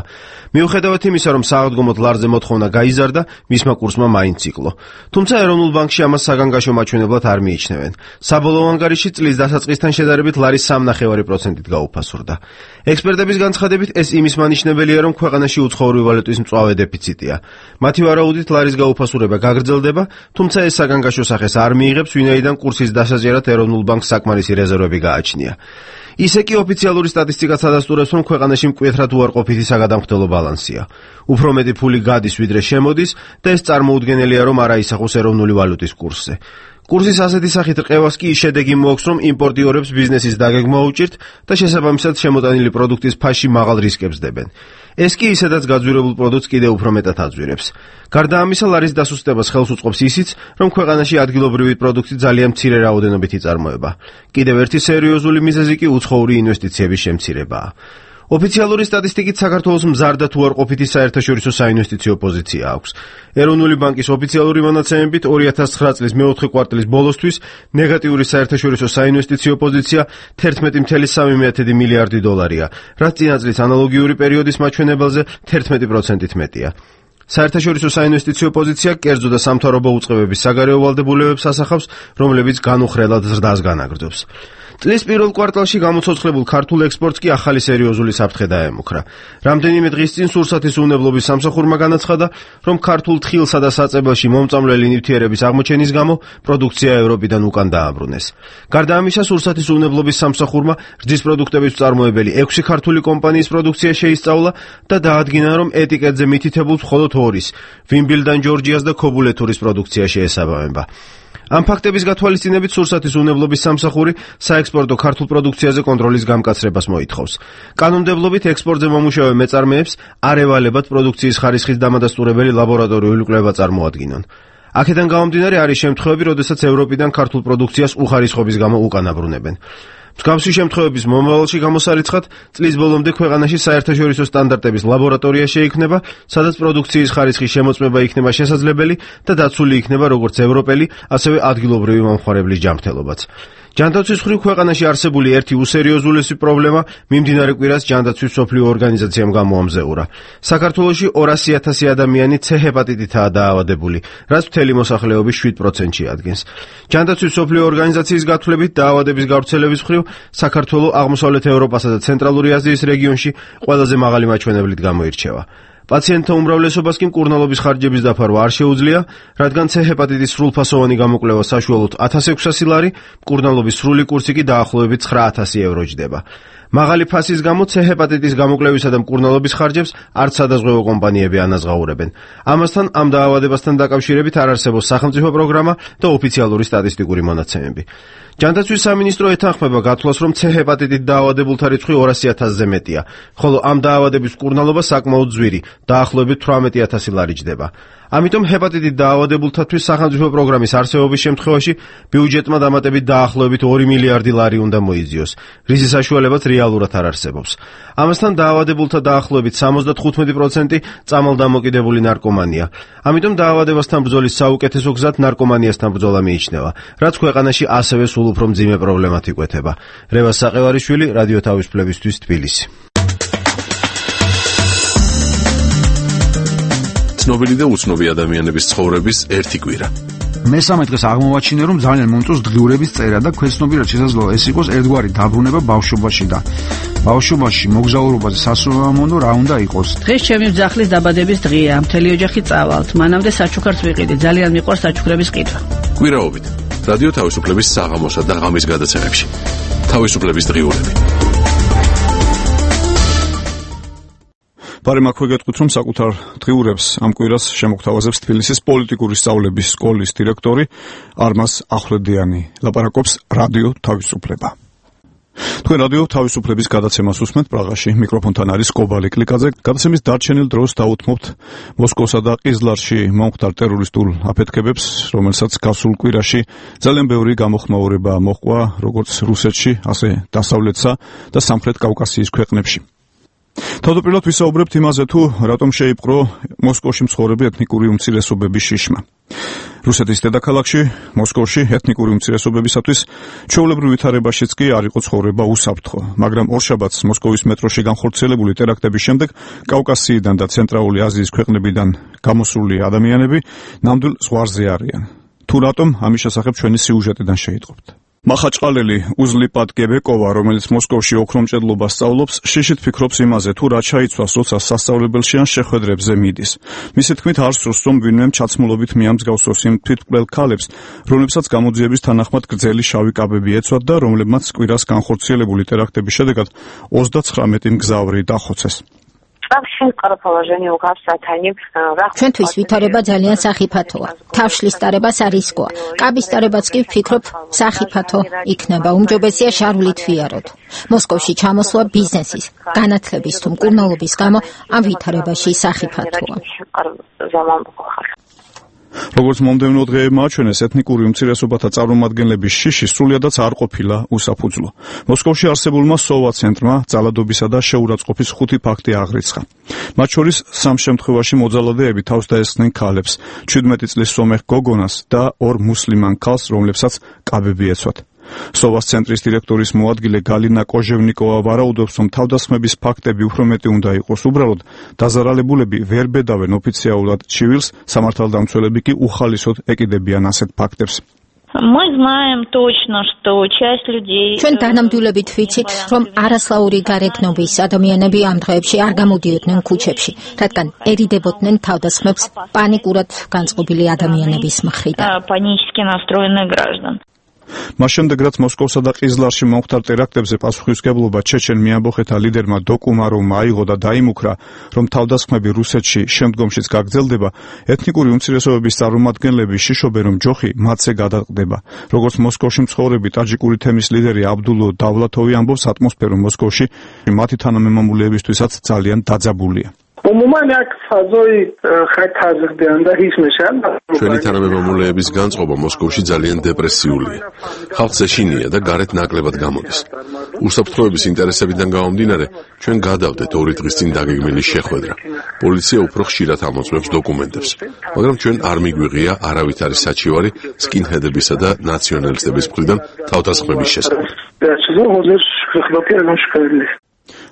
მიუხედავად იმისა, რომ საავადმყოფოდ ლარზე მოთხოვნა გაიზარდა, მისმა კურსმა მაინც იკლო. თუმცა ეროვნულ ბანკში ამას საგანგაშო მაჩვენებლად არ მიიჩნევენ. საბოლოო ანგარიში წლის დასაწყისთან შედარებით ლარის სამნახევარი პროცენტით გაუფასურდა. ექსპერტების განცხადებით ეს იმის მანიშნებელია, რომ ქვეყანაში უცხოური ვალუტის მწვავე დეფიციტია. მათი ვარაუდით ლარის გაუფასურება გაგრძელდება, თუმცა ეს საგანგაშო სახეს არ მიიღებს, ვინაიდან კურსის დასაჯერად ეროვნულ ბანკს საკმარისი რეზერვები გააჩნია. ისე კი ოფიციალური სტატისტიკაც ადასტურებს, რომ ქვეყანაში მკვეთრად უარყოფითი საგადამხდელო ბალანსია. უფრო მეტი ფული გადის, ვიდრე შემოდის და ეს წარმოუდგენელია, რომ არ აისახოს ეროვნული ვალუტის კურსზე. კურსის ასეთი სახით რყევას კი შედეგი მოაქვს, რომ იმპორტიორებს ბიზნესის დაგეგმა უჭირთ და შესაბამისად შემოტანილი პროდუქტის ფასში მაღალ რისკებს დებენ. ეს კი ისედაც გაძვირებულ პროდუქტს კიდევ უფრო მეტად აძვირებს. გარდა ამისა, ლარის დასუსტებას ხელს უწყობს ისიც, რომ ქვეყანაში ადგილობრივი პროდუქტი ძალიან მცირე რაოდენობით იწარმოება. კიდევ ერთი სერიოზული მიზეზი კი უცხოური ინვესტიციების შემცირებაა. ოფიციალური სტატისტიკით საქართველოს მზარ და თუ არ ყოფითი საერთაშორისო საინვესტიციო პოზიცია აქვს. ეროვნული ბანკის ოფიციალური მონაცემებით ორი ათას ცხრა წლის მეოთხე კვარტალის ბოლოსთვის ნეგატიური საერთაშორისო საინვესტიციო პოზიცია თერთმეტი целых სამი დესятых მილიარდი დოლარია, რაც წინა წლის ანალოგიური პერიოდის მაჩვენებელზე თერთმეტი პროცენტით მეტია. საერთაშორისო საინვესტიციო პოზიცია კერძო და სამთავრობო უწყებების საგარეო ვალდებულებებს ასახავს, რომლებიც განუხრელად ზრდას განაგრძობს. წლის პირველ კვარტალში გამოცოცხლებულ ქართულ ექსპორტს კი ახალი სერიოზული საფრთხე დაემუქრა. რამდენიმე დღის წინ სურსათის უნებლობის სამსახურმა განაცხადა, რომ ქართულ თხილსა და საწებელში მომწამლელი ნივთიერების აღმოჩენის გამო პროდუქცია ევროპიდან უკან დააბრუნეს. გარდა ამისა, სურსათის უნებლობის სამსახურმა რძის პროდუქტების მწარმოებელი ექვსი ქართული კომპანიის პროდუქცია შეისწავლა და დაადგინა, რომ ეტიკეტზე მითითებულ მხოლოდ ორის, ვიმბილდან ჯორჯიას და ქობულეთურის პროდუქცია შეესაბამება. ამ ფაქტების გათვალისწინებით სურსათის უნებლობის სამსახური საექსპორტო ქართულ პროდუქციაზე კონტროლის გამკაცრებას მოითხოვს. კანონმდებლობით ექსპორტზე მომუშავე მეწარმეებს არ ევალებათ პროდუქციის ხარისხის დამადასტურებელი ლაბორატორიული კვლევა წარმოადგინონ. აქედან გამომდინარე არის შემთხვევები, როდესაც ევროპიდან ქართულ პროდუქციას უხარისხობის გამო უკან აბრუნებენ. მსგავსი შემთხვევების მომავალში გამოსარიცხად წლის ბოლომდე ქვეყანაში საერთაშორისო სტანდარტების ლაბორატორია შეიქმნება, სადაც პროდუქციის ხარისხის შემოწმება იქნება შესაძლებელი და დაცული იქნება როგორც ევროპელი, ასევე ადგილობრივი მომხმარებლის ჯანმრთელობაც. ჯანდაცვის მხრივ ქვეყანაში არსებული ერთი უსერიოზულესი პრობლემა მიმდინარე კვირას ჯანდაცვის მსოფლიო ორგანიზაციამ გამოამზეურა. საქართველოში ორასი ათასი ადამიანი C ჰეპატიტითაა დაავადებული, რაც მთელი მოსახლეობის შვიდ პროცენტში ადგენს. ჯანდაცვის მსოფლიო ორგანიზაციის გათვლებით დაავადების გავრცელების მხრივ საქართველო აღმოსავლეთ ევროპასა და ცენტრალური აზიის რეგიონში ყველაზე მაღალი მაჩვენებლით გამოირჩევა. პაციენტთა უმრავლესობას კი მკურნალობის ხარჯების დაფარვა არ შეუძლია, რადგან C ჰეპატიტის სრულფასოვანი გამოკვლევა საშუალოდ ათას ექვსასი ლარი, მკურნალობის სრული კურსი კი დაახლოებით ცხრა ათასი ევრო ჯდება. მაღალი ფასის გამო C ჰეპატიტის გამოკვლევისა და მკურნალობის ხარჯებს არც სადაზღვევო კომპანიები ანაზღაურებენ. ამასთან ამ დაავადებასთან დაკავშირებით არ არსებობს სახელმწიფო პროგრამა და ოფიციალური სტატისტიკური მონაცემები. ჯანდაცვის სამინისტრო ეთანხმება გათვლას, რომ C ჰეპატიტით დაავადებულთა რიცხვი ორასი ათასზე მეტია, ხოლო ამ დაავადების მკურნალობა საკმაოდ ძვირი, დაახლოებით თვრამეტი ათასი ლარი ჯდება. ამიტომ ჰეპატიტით დაავადებულთათვის სახელმწიფო პროგრამის არსებობის შემთხვევაში ბიუჯეტმა დამატებით დაახლოებით ორი მილიარდი ლარი უნდა მოიძიოს, რის საშუალებაც რეალურად არ არსებობს. ამასთან დაავადებულთა დაახლოებით სამოცდათხუთმეტი პროცენტი წამალდამოკიდებული ნარკომანია. ამიტომ დაავადებასთან ბრძოლის საუკეთესო გზად ნარკომანიასთან ბრძოლა მიიჩნევა, რაც ქვეყანაში ასევე სულ უფრო მძიმე პრობლემად იკვეთება. რევაზ საყევარიშვილი, რადიო თავისუფლებისთვის, თბილისი. ცნობილი და უცნობი ადამიანების ცხოვრების ერთი კვირა. მესამე დღეს აღმოვაჩინე, რომ ძალიან მომწონს დღიურების წერა და ქვეცნობიერად შესაძლოა ეს იყოს ერთგვარი დაბრუნება ბავშვობაში და ბავშვობაში მოგზაურობაზე სასურველმონო რა უნდა იყოს. დღეს ჩემი ძახლის დაბადების დღეა, მთელი ოჯახი წავალთ. მანამდე საჩუქარს ვიყიდე, ძალიან მიყვარს საჩუქრების ყიდვა. კვირაობით რადიო თავისუფლების საღამოსა და ღამის გადაცემებში. თავისუფლების დღიურები. ბარემ აქვე გეტყვით, რომ საკუთარ დღიურებს ამ კვირას შემოგთავაზებს თბილისის პოლიტიკური სწავლების სკოლის დირექტორი არმაზ ახვლედიანი. ლაპარაკობს რადიო თავისუფლება. თქვენ რადიო თავისუფლების გადაცემას უსმენთ პრაღაში. მიკროფონთან არის კობალი კლიკაძე. გადაცემის დარჩენილ დროს დაუთმობთ მოსკოვსა და ყიზლარში მომხდარ ტერორისტულ აფეთქებებს, რომელსაც გასულ კვირაში ძალიან ბევრი გამოხმაურება მოჰყვა, როგორც რუსეთში, ასე დასავლეთსა და სამხრეთ კავკასიის ქვეყნებში. თავდაპირველად ვისაუბრებთ იმაზე, თუ რატომ შეიპყრო მოსკოვში მცხოვრები ეთნიკური უმცირესობების შიშმა. რუსეთის დედაქალაქში, მოსკოვში ეთნიკური უმცირესობებისათვის ჩვეულებრივ ვითარებაშიც კი არ იყო ცხოვრება უსაფრთხო, მაგრამ ორშაბათს მოსკოვის მეტროში განხორციელებული ტერაქტების შემდეგ კავკასიიდან და ცენტრალური აზიის ქვეყნებიდან გამოსული ადამიანები ნამდვილ ზღვარზე არიან. თუ რატომ, ამის შესახებ ჩვენი სიუჟეტიდან შეიტყობთ. მახაჭყალელი უზლიპად გებეკოვა, რომელიც მოსკოვში ოქრომჭედლობას სწავლობს, შიშით ფიქრობს იმაზე, თუ რა ჩაიცვას, როცა სასწავლებელში ან შეხვედრებზე მიდის. მისი თქმით, არ სურს, რომ ვინმემ ჩაცმულობით მიამსგავსოს იმ თვითმკვლელ ქალებს, რომლებსაც გამოძიების თანახმად გრძელი შავი კაბები ეცვათ და რომლებმაც კვირას განხორციელებული ტერაქტების შედეგად ოცდაცხრამეტი მგზავრი დახოცეს. ჩვენთვის ვითარება ძალიან სახიფათოა. თავშლის ტარებას არ ისკოა. კაბის ტარებაც კი ვფიქრობ სახიფათო იქნება. უმჯობესია შარვლით ვიაროთ. მოსკოვში ჩამოსვლა ბიზნესის, განათლების თუ მკურნალობის გამო ამ ვითარებაში სახიფათოა. როგორც მომდევნო დღეებმა აჩვენეს, ეთნიკური უმცირესობათა წარმომადგენლების შიში სრულიადაც არ ყოფილა უსაფუძვლო. მოსკოვში არსებულმა სოვა ცენტრმა ძალადობისა და შეურაცხყოფის ხუთი ფაქტი აღრიცხა. მათ შორის სამ შემთხვევაში მოძალადეები თავს დაესხნენ ქალებს, ჩვიდმეტი წლის სომეხ გოგონას და ორ მუსლიმან ქალს, რომლებსაც კაბები ეცვათ. სოვას ცენტრის დირექტორის მოადგილე გალინა კოჟევნიკოვა ვარაუდობს, რომ თავდასხმების ფაქტები უფრო მეტი უნდა იყოს. უბრალოდ დაზარალებულები ვერ ბედავენ ოფიციალურად ჩივილს, სამართალდამცველები კი უხალისოდ ეკიდებიან ასეთ ფაქტებს. ჩვენ დანამდვილებით ვიცით, რომ არასლაური გარეგნობის ადამიანები ამ დღეებში არ გამოდიოდნენ ქუჩებში, რადგან ერიდებოდნენ თავდასხმებს პანიკურად განწყობილი ადამიანების მხრიდან. მას შემდეგ, რაც მოსკოვსა და ყიზლარში მომხდარ ტერაქტებზე პასუხისმგებლობა ჩეჩენ მეამბოხეთა ლიდერმა დოკუმაროვმა აიღო და დაიმუქრა, რომ თავდასხმები რუსეთში შემდგომშიც გაგრძელდება, ეთნიკური უმცირესობების წარმომადგენლები შიშობენ, რომ ჯოხი მათზე გადაყდება. როგორც მოსკოვში მცხოვრები ტაჯიკური თემის ლიდერი აბდულო დავლათოვი ამბობს, ატმოსფერო მოსკოვში მათი თანამემამულეებისთვისაც ძალიან დაძაბულია. ჩვენი თანამემამულეების განწყობა მოსკოვში ძალიან დეპრესიულია. ხალხს ეშინია და გარეთ ნაკლებად გამოდის. უსაფრთხოების ინტერესებიდან გამომდინარე, ჩვენ გადავდეთ ორი დღის წინ დაგეგმილი შეხვედრა. პოლიცია უფრო ხშირად ამოწმებს დოკუმენტებს, მაგრამ ჩვენ არ მიგვიღია არავითარი საჩივარი სკინჰედებისა და ნაციონალისტების მხრიდან თავდასხმების შესახებ.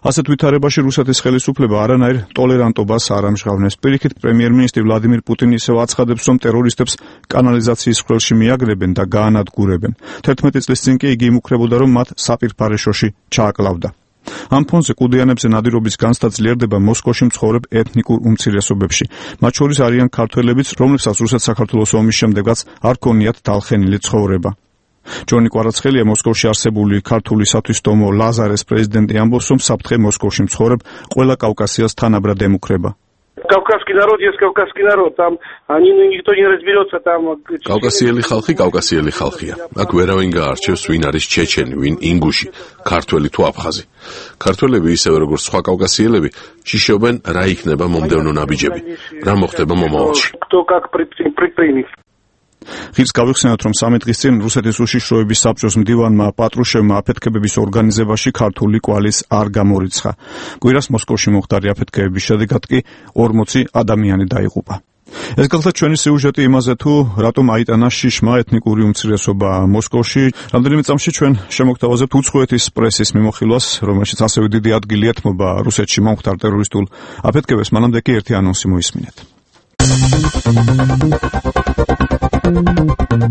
ასეთ ვითარებაში რუსეთის ხელისუფლება არანაირ ტოლერანტობას არ ამჟღავნებს. პირიქით, პრემიერ-მინისტრი ვლადიმირ პუტინი ისევ აცხადებს, რომ ტერორისტებს კანალიზაციის ხვრელში მიაგრებენ და გაანადგურებენ. თერთმეტი წლის წინ კი იგი იმუქრებოდა, რომ მათ საპირფარეშოში ჩააკლავდა. ამ ფონზე კუდიანებზე ნადირობის განცდა ძლიერდება მოსკოვში მცხოვრებ ეთნიკურ უმცირესობებში. მათ შორის არიან ქართველებიც, რომლებსაც რუსეთ-საქართველოს ომის შემდეგაც არ ქონიათ დალხენილი ცხოვრება. ჯონი კვარაცხელია, მოსკოვში არსებული ქართული სათვისტომო ლაზარეს პრეზიდენტი, ამბობს, რომ საფრთხე მოსკოვში მცხოვრებ ყველა კავკასიას თანაბრად ემუქრება. Кавказский народ есть кавказский народ, там они никто не разберется там. კავკასიელი ხალხი კავკასიელი ხალხია. აქ ვერავინ გაარჩევს ვინ არის ჩეჩენი, ვინ ინგუში, ქართველი თუ აფხაზი. ქართველები ისევე როგორც სხვა კავკასიელები შიშობენ რა იქნება მომდევნო ნაბიჯები, რა მოხდება მომავალში. Кто как предпримет. ხის გავიხსენოთ, რომ სამი დღის წინ რუსეთის უშიშროების საბჭოს მდივანმა პატრუშევმა აფეთქებების ორგანიზებაში ქართული კვალის არ გამორიცხა. კვირას მოსკოვში მომხდარი აფეთქებების შედეგად კი ორმოცი ადამიანი დაიღუპა. ეს გახდა ჩვენი სიუჟეტი იმაზე, თუ რატომ აიტანა შიშმა ეთნიკური უმცირესობა მოსკოვში. რამდენიმე წამში ჩვენ შემოგთავაზებთ უცხოეთის პრესის მიმოხილვას, რომელშიც ასევე დიდი ადგილი ეთმობა რუსეთში მომხდარ ტერორისტულ აფეთქებებს. მანამდე კი ერთი ანონსი მოისმინეთ.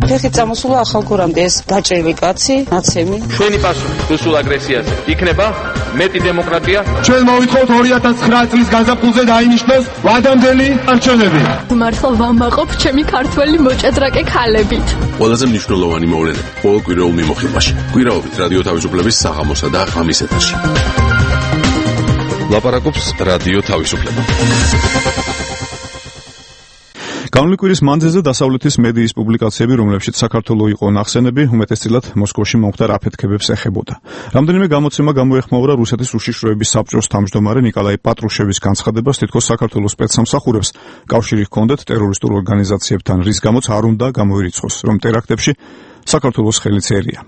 ფეხი წამოსულა ახალგორამდე ეს დაჭრილი კაცი, ნაცემი. ჩვენი პასუხი რუსულ აგრესიაზე იქნება მეტი დემოკრატია. ჩვენ მოვითხოვთ ორი ათას ცხრა წლის გაზაფხულზე დაინიშნოს ვადამდელი არჩევნები. მართლა ვამაყობ ჩემი ქართველი მოჭადრაკე ქალებით. ყველაზე მნიშვნელოვანი მოვლენა ყოველკვირეულ მიმოხილვაში. კვირაობით რადიო თავისუფლების საღამოსა და ღამის ეთერში. ლაპარაკობს რადიო თავისუფლება. განვლილი კვირის მანძილზე დასავლეთის მედიის პუბლიკაციები, რომლებშიც საქართველო იყო ნახსენები, უმეტესწილად მოსკოვში მომხდარ აფეთქებებს ეხებოდა. რამდენიმე გამოცემა გამოეხმაურა რუსეთის უშიშროების საბჭოს თავმჯდომარე ნიკოლაი პატრუშევის განცხადებას, თითქოს საქართველოს სპეცსამსახურებს კავშირი ჰქონდათ ტერორისტულ ორგანიზაციებთან, რის გამოც არ უნდა გამოირიცხოს, რომ ტერაქტებში საქართველოს ხელიც ერია.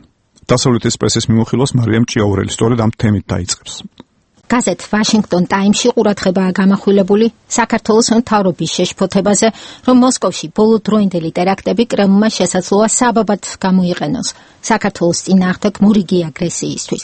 დასავლეთის პრესის მიმოხილვას მარიამ ჭიაურელი სწორედ ამ თემით დაიწყებს. გაზეთ ვაშინგტონ ტაიმსში ყურადღებაა გამახვილებული საქართველოს მთავრობის შეშფოთებაზე, რომ მოსკოვში ბოლოდროინდელი ტერაქტები კრემლმა შესაძლოა საბაბად გამოიყენოს საქართველოს წინააღმდეგ მორიგი აგრესიისთვის.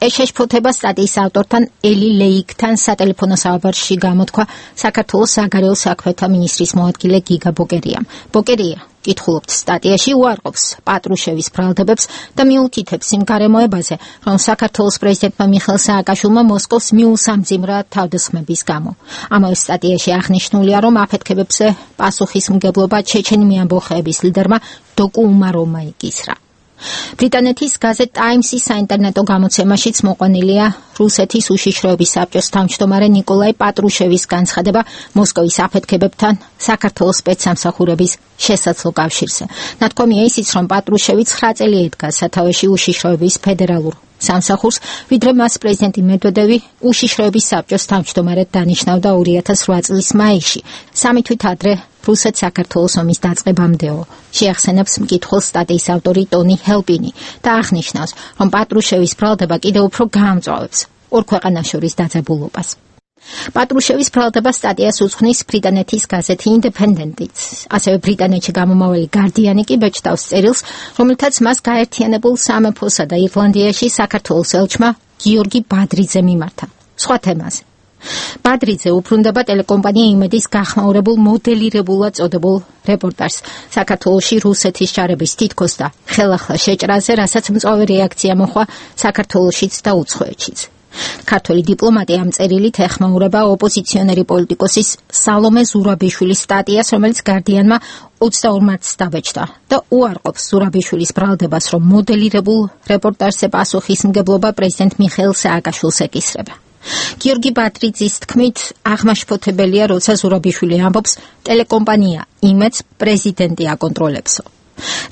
ეს შეშფოთება სტატიის ავტორთან ელი ლეიკთან სატელეფონო საუბარში გამოთქვა საქართველოს საგარეო საქმეთა მინისტრის მოადგილე გიგა ბოკერიამ. ბოკერია კითხულობთ სტატიაში უარყოფს პატრუშევის ბრალდებებს და მიუთითებს იმ გარემოებაზე, რომ საქართველოს პრეზიდენტმა მიხეილ სააკაშვილმა მოსკოვს მიუსამძიმრა თავდასხმების გამო. ამავე სტატიაში აღნიშნულია, რომ აფეთქებებზე პასუხისმგებლობა ჩეჩენი მეამბოხეების ლიდერმა დოკუ უმაროვმა იკისრა. ბრიტანეთის გაზეთ ტაიმსის საინტერნეტო გამოცემაშიც მოყვანილია რუსეთის უშიშროების საბჭოს თავმჯდომარე ნიკოლაი პატრუშევის განცხადება მოსკოვის აფეთქებებთან საქართველოს სპეცსამსახურების შესაძლო კავშირზე. ნათქვამია ისიც, რომ პატრუშევი ცხრა წელი ედგა სათავეში უშიშროების ფედერალურ სამსახურს, ვიდრე მას პრეზიდენტი მედვედევი უშიშროების საბჭოს თავმჯდომარედ დანიშნავდა ორი ათას რვა წლის მაისში, სამი თვით ადრე რუსეთ-საქართველოს ომის დაწყებამდეო. შეახსენებს მკითხველს სტატიის ავტორი ტონი ჰელპინი და აღნიშნავს, რომ პატრუშევის ბრალდება კიდევ უფრო გაამწვავებს ორ ქვეყანას შორის დაძაბულობას. პატრუშევის ბრალდება სტატიას უძღვნის ბრიტანეთის გაზეთი ინდეპენდენტიც. ასევე ბრიტანეთში გამომავალი გარდიანი კი ბეჭდავს წერილს, რომელთაც მას გაერთიანებულ სამეფოსა და ირლანდიაში საქართველოს ელჩმა გიორგი ბადრიძე მიმართა. სხვა თემაზე. ბადრიძე უბრუნდება ტელეკომპანია იმედის გახმაურებულ მოდელირებულად წოდებულ რეპორტაჟს საქართველოში რუსეთის ჯარების თითქოს და ხელახლა შეჭრაზე, რასაც მწვავე რეაქცია მოხვა საქართველოშიც და უცხოეთშიც. ქართველი დიპლომატი ამ წერილით ეხმაურება ოპოზიციონერი პოლიტიკოსის სალომე ზურაბიშვილის სტატიას, რომელიც გარდიანმა ოცდაორ მარტს დაბეჭდა და უარყოფს ზურაბიშვილის ბრალდებას, რომ მოდელირებულ რეპორტაჟზე პასუხისმგებლობა პრეზიდენტ მიხეილ სააკაშვილს ეკისრება. გიორგი ბადრიძის თქმით, აღმაშფოთებელია, როცა ზურაბიშვილი ამბობს, ტელეკომპანია იმედს პრეზიდენტი აკონტროლებსო.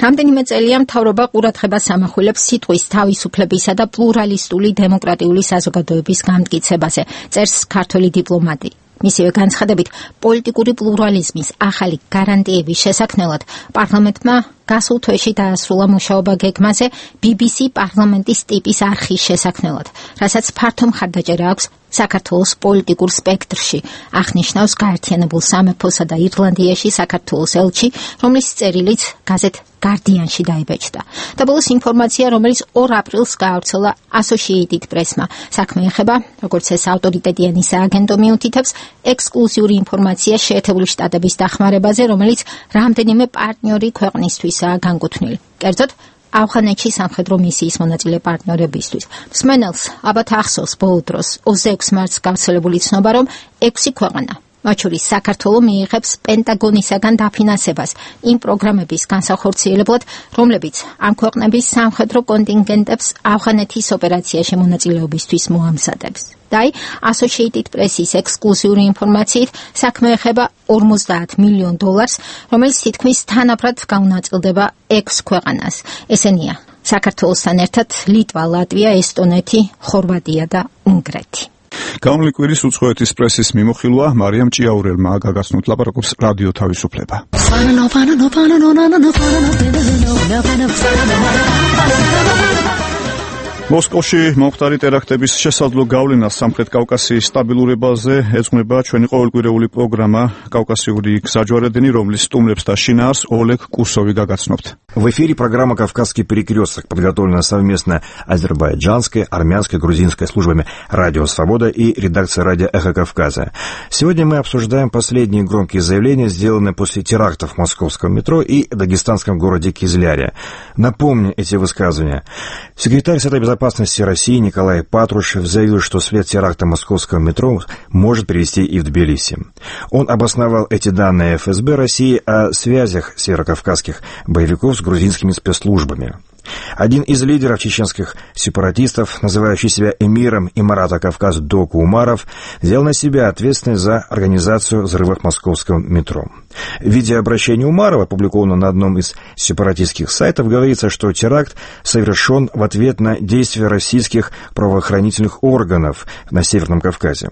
რამდენიმე წელია მთავრობა ყურადღებას ამახვილებს სიტყვის თავისუფლებისა და პლურალისტული დემოკრატიული საზოგადოების გამტკიცებაზე, წერს ქართველი დიპლომატი. მისივე განცხადებით, პოლიტიკური პლურალიზმის ახალი გარანტიების შესაქმნელად პარლამენტმა გასულ თვეში დაასრულა მუშაობა გეგმაზე ბი ბი სი პარლამენტის ტიპის არხის შესაქმნელად, რასაც ფართო მხარდაჭერა აქვს საქართველოს პოლიტიკურ სპექტრში, აღნიშნავს გაერთიანებულ სამეფოსა და ირლანდიაში საქართველოს ელჩი, რომლის წერილიც გაზეთ გარდიანში დაიბეჭდა. და ბოლოს ინფორმაცია, რომელიც ორ აპრილს გაავრცელა Associated Press-მა. საქმე ეხება, როგორც ეს ავტორიტეტიანი სააგენტო მიუთითებს, ექსკლუზიური ინფორმაცია შეერთებული შტატების დახმარებაზე, რომელიც რამდენიმე პარტნიორი ქვეყნისთვისაა განკუთვნილი. კერძოდ, ავღანეთში სამხედრო მისიის მონაწილე პარტნიორებისთვის. მსმენელს ალბათ ახსოვს ბოლო დროს ოცდაექვსი მარტს გავრცელებული ცნობა, რომ ექვსი ქვეყანა მათ შორის საქართველოს მიიღებს პენტაგონისაგან დაფინანსებას იმ პროგრამების განსახორციელებლად, რომლებიც ამ ქვეყნების სამხედრო კონტინგენტებს ავღანეთის ოპერაციაში მონაწილეობისთვის მოამზადებს. და Associated Press-ის ექსკლუზიური ინფორმაციით საქმე ეხება ორმოცდაათ მილიონ დოლარს, რომელიც თითქმის თანაბრად გაუნაწილდება ექვს ქვეყანას. ესენია საქართველოსთან ერთად ლიტვა, ლატვია, ესტონეთი, ხორვატია და უნგრეთი. გამოვლის კვირის უცხოეთის პრესის მიმოხილვა მარიამ ჭიაურელმა გაგაცნოთ ლაპარაკობს რადიო თავისუფლება. მოსკოვში მომხდარი ტერაქტების შესაძლო გავლენა სამხრეთ კავკასიის სტაბილურობაზე ეძღვნება ჩვენი ყოველკვირეული პროგრამა «Кавказიური გზაჯვარედინი», რომლის სტუმრებს და შინაარს Олег Курсовი გაგაცნობთ. В эфире программа «Кавказский перекресток», подготовлена совместно азербайджанской, армянской, грузинской службами «Радио Свобода» и редакцией «Радио Эхо Кавказа». Сегодня мы обсуждаем последние громкие заявления, сделанные после терактов в московском метро и дагестанском городе Кизляре. Напомню эти высказывания. Секретарь Совета безопасности России Николай Патрушев заявил, что след теракта московского метро может привести и в Тбилиси. Он обосновал эти данные эф эс бэ России о связях северокавказских боевиков с грузинскими спецслужбами. Один из лидеров чеченских сепаратистов, называющий себя эмиром Имарата Кавказ Доку Умаров, взял на себя ответственность за организацию взрывов в московском метро. В видеообращении Умарова, опубликованном на одном из сепаратистских сайтов, говорится, что теракт совершен в ответ на действия российских правоохранительных органов на Северном Кавказе.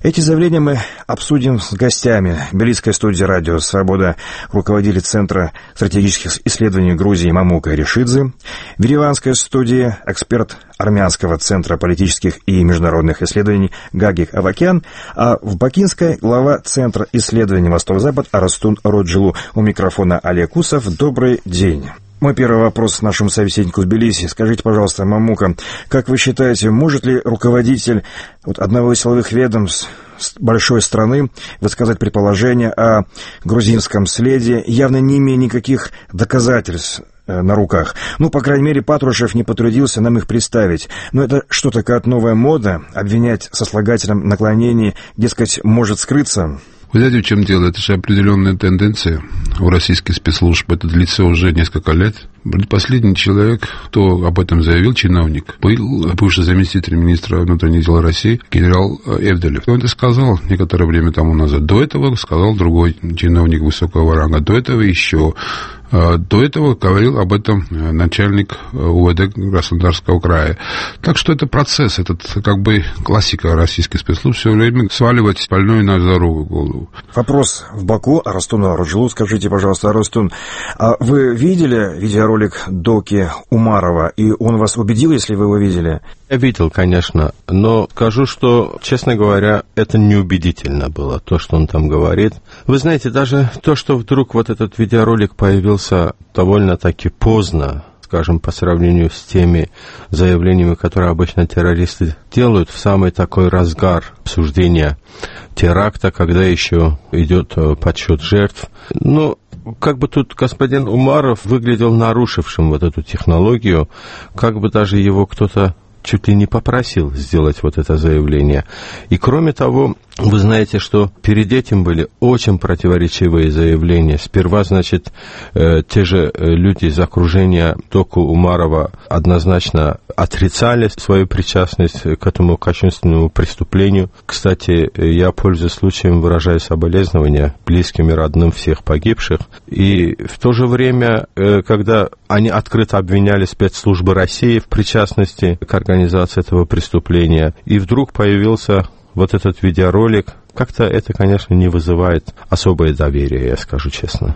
Эти заявления мы обсудим с гостями. В Тбилисской студии «Радио Свобода» руководитель Центра стратегических исследований Грузии Мамука Ришидзе. В Ереванской студии эксперт Армянского центра политических и международных исследований Гагик Авакян. А в Бакинской глава Центра исследований Восток-Запад Арастун Роджилу. У микрофона Олег Кусов. Добрый день. Мой первый вопрос нашему собеседнику в Тбилиси. Скажите, пожалуйста, Мамука, как вы считаете, может ли руководитель вот, одного из силовых ведомств большой страны высказать предположение о грузинском следе, явно не имея никаких доказательств на руках? Ну, по крайней мере, Патрушев не потрудился нам их представить. Но это что, такая новая мода? Обвинять сослагательном наклонении, дескать, может скрыться? Вы знаете, в чем дело? Это же определенная тенденция у российских спецслужб. Это длится уже несколько лет. Последний человек, кто об этом заявил, чиновник, был бывший заместитель министра внутренних дел России генерал Эвделев. Он это сказал некоторое время тому назад. До этого сказал другой чиновник высокого ранга. До этого еще. До этого говорил об этом начальник у вэ дэ Краснодарского края. Так что это процесс, этот как бы классика российских спецслужб, все время сваливать больную на здоровую голову. Вопрос в Баку. Арастуну Роджилу, скажите, пожалуйста, Арастун, а вы видели видеоролик Доки Умарова, и он вас убедил, если вы его видели? Я видел, конечно, но скажу, что, честно говоря, это неубедительно было, то, что он там говорит. Вы знаете, даже то, что вдруг вот этот видеоролик появился довольно-таки поздно, скажем, по сравнению с теми заявлениями, которые обычно террористы делают в самый такой разгар обсуждения теракта, когда еще идет подсчет жертв. Ну, как бы тут господин Умаров выглядел нарушившим вот эту технологию, как бы даже его кто-то чуть ли не попросил сделать вот это заявление. И кроме того, вы знаете, что перед этим были очень противоречивые заявления. Сперва, значит, э, те же люди из окружения Доку Умарова однозначно отрицали свою причастность к этому кощунственному преступлению. Кстати, я, пользуясь случаем, выражаю соболезнования близким и родным всех погибших. И в то же время, э, когда они открыто обвиняли спецслужбы России в причастности к организации этого преступления, и вдруг появился вот этот видеоролик, как-то это, конечно, не вызывает особое доверие, я скажу честно.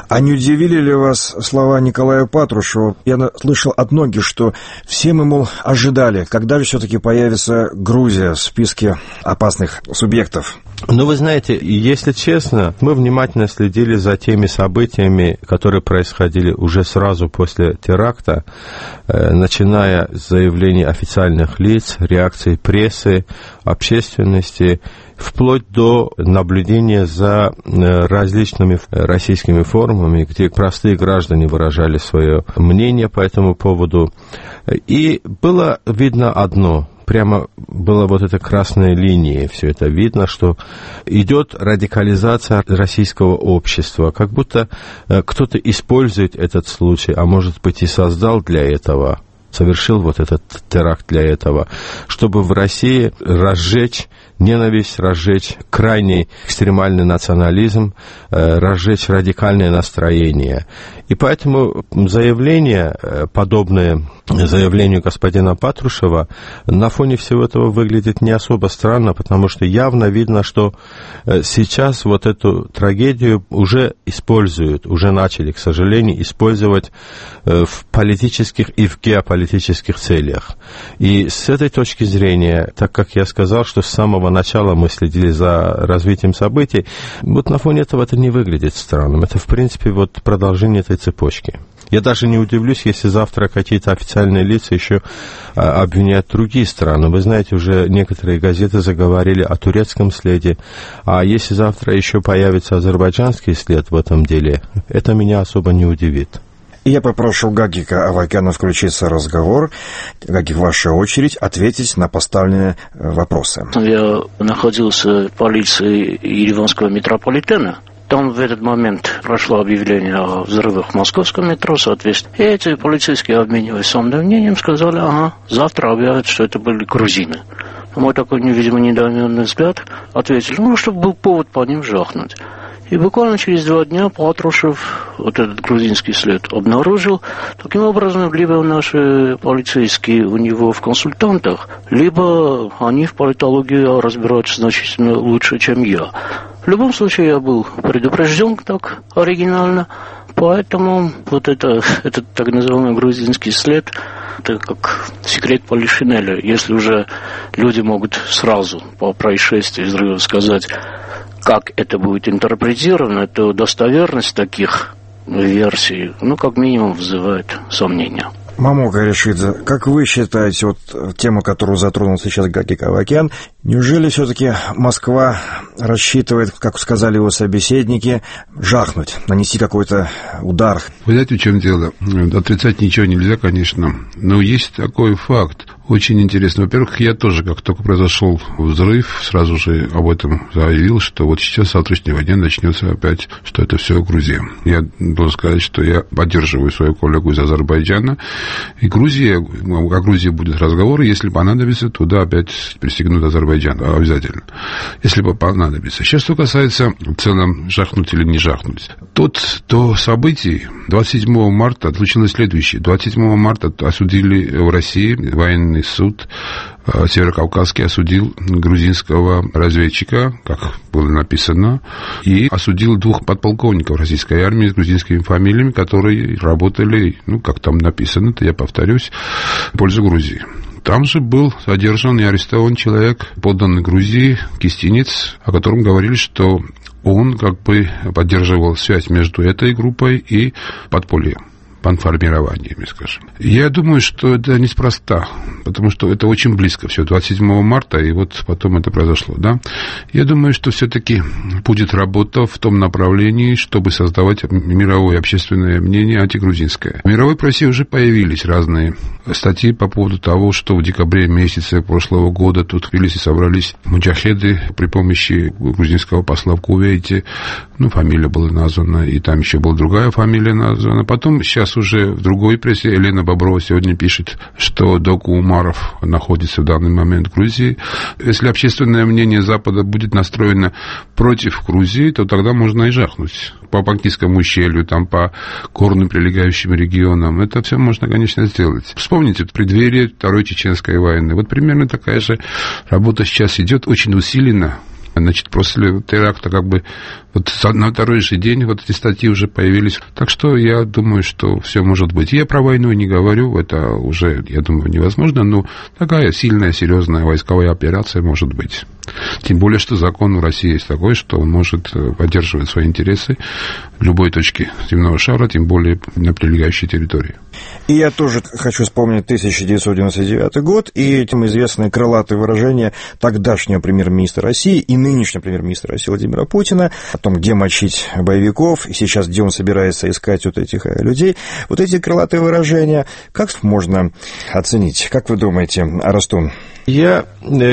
А не удивили ли вас слова Николая Патрушева? Я слышал от многих, что все мы, мол, ожидали, когда же все-таки появится Грузия в списке опасных субъектов. Ну, вы знаете, если честно, мы внимательно следили за теми событиями, которые происходили уже сразу после теракта, э, начиная с заявлений официальных лиц, реакций прессы, общественности, вплоть до наблюдения за различными российскими форумами, где простые граждане выражали свое мнение по этому поводу. И было видно одно. прямо была вот эта красная линия, все это видно, что идет радикализация российского общества, как будто кто-то использует этот случай, а может быть и создал для этого, совершил вот этот теракт для этого, чтобы в России разжечь ненависть, разжечь крайний экстремальный национализм, разжечь радикальное настроение. И поэтому заявление, подобное заявлению господина Патрушева, на фоне всего этого выглядит не особо странно, потому что явно видно, что сейчас вот эту трагедию уже используют, уже начали, к сожалению, использовать в политических и в геополитических целях. И с этой точки зрения, так как я сказал, что с самого начала мы следили за развитием событий, вот на фоне этого это не выглядит странным. Это, в принципе, вот продолжение этой цепочки. Я даже не удивлюсь, если завтра какие-то официальные лица еще а, обвиняют другие страны. Вы знаете, уже некоторые газеты заговорили о турецком следе. А если завтра еще появится азербайджанский след в этом деле, это меня особо не удивит. Я попрошу Гагика Авакяна включиться в разговор. Гагик, ваша очередь ответить на поставленные вопросы. Я находился в полиции Ереванского метрополитена. Там в этот момент прошло объявление о взрывах в московском метро, соответственно. И эти полицейские, обмениваясь своим мнением, сказали, ага, завтра объявят, что это были грузины. На мой такой, видимо, недоуменный взгляд ответили, ну, чтобы был повод по ним жахнуть. И буквально через два дня Патрушев вот этот грузинский след обнаружил. Таким образом, либо наши полицейские у него в консультантах, либо они в политологии разбираются значительно лучше, чем я. В любом случае, я был предупрежден так оригинально, поэтому вот это, этот так называемый грузинский след, это как секрет Полишинеля. Если уже люди могут сразу по происшествию взрыва сказать, как это будет интерпретировано, то достоверность таких версий, ну, как минимум, вызывает сомнения. Мамо Гаришидзе, как вы считаете, вот тему, которую затронул сейчас Гагик Авакян, неужели все-таки Москва рассчитывает, как сказали его собеседники, жахнуть, нанести какой-то удар? Вы знаете, в чем дело? Отрицать ничего нельзя, конечно, но есть такой факт. Очень интересно. Во-первых, я тоже, как только произошел взрыв, сразу же об этом заявил, что вот сейчас, с завтрашнего дня, начнется опять, что это все Грузия. Я должен сказать, что я поддерживаю свою коллегу из Азербайджана. И Грузия, о Грузии будет разговор, если понадобится, туда опять присягнут Азербайджан. Обязательно. Если бы понадобится. Сейчас, что касается в целом жахнуть или не жахнуть. Тот, то событий двадцать седьмого марта случилось следующее. двадцать седьмого марта осудили в России военный суд Северокавказский осудил грузинского разведчика, как было написано, и осудил двух подполковников российской армии с грузинскими фамилиями, которые работали, ну, как там написано, то я повторюсь, в пользу Грузии. Там же был задержан и арестован человек, подданный Грузии, кистинец, о котором говорили, что он как бы поддерживал связь между этой группой и подпольем. Панформированиями, скажем. Я думаю, что это неспроста, потому что это очень близко все, двадцать седьмого марта, и вот потом это произошло, да. Я думаю, что все-таки будет работа в том направлении, чтобы создавать мировое общественное мнение антигрузинское. В мировой прессе уже появились разные статьи по поводу того, что в декабре месяце прошлого года тут в Тбилиси собрались муджахеды при помощи грузинского посла в Кувейте, ну, фамилия была названа, и там еще была другая фамилия названа. Потом сейчас уже в другой прессе Елена Боброва сегодня пишет, что Доку Умаров находится в данный момент в Грузии. Если общественное мнение Запада будет настроено против Грузии, то тогда можно и жахнуть. По Балтийскому ущелью, там, по горным прилегающим регионам. Это все можно, конечно, сделать. Вспомните, в преддверии Второй Чеченской войны. Вот примерно такая же работа сейчас идет, очень усиленно. Значит, после теракта как бы вот на второй же день вот эти статьи уже появились. Так что я думаю, что все может быть. Я про войну не говорю, это уже, я думаю, невозможно, но такая сильная, серьезная войсковая операция может быть. Тем более, что закон в России есть такой, что он может поддерживать свои интересы в любой точке земного шара, тем более на прилегающей территории. И я тоже хочу вспомнить тысяча девятьсот девяносто девятый год и этим известное крылатое выражение тогдашнего премьер-министра России и нынешнего премьер-министра России Владимира Путина, о том, где мочить боевиков, и сейчас где он собирается искать вот этих людей. Вот эти крылатые выражения, как можно оценить? Как вы думаете, Арастун? Я,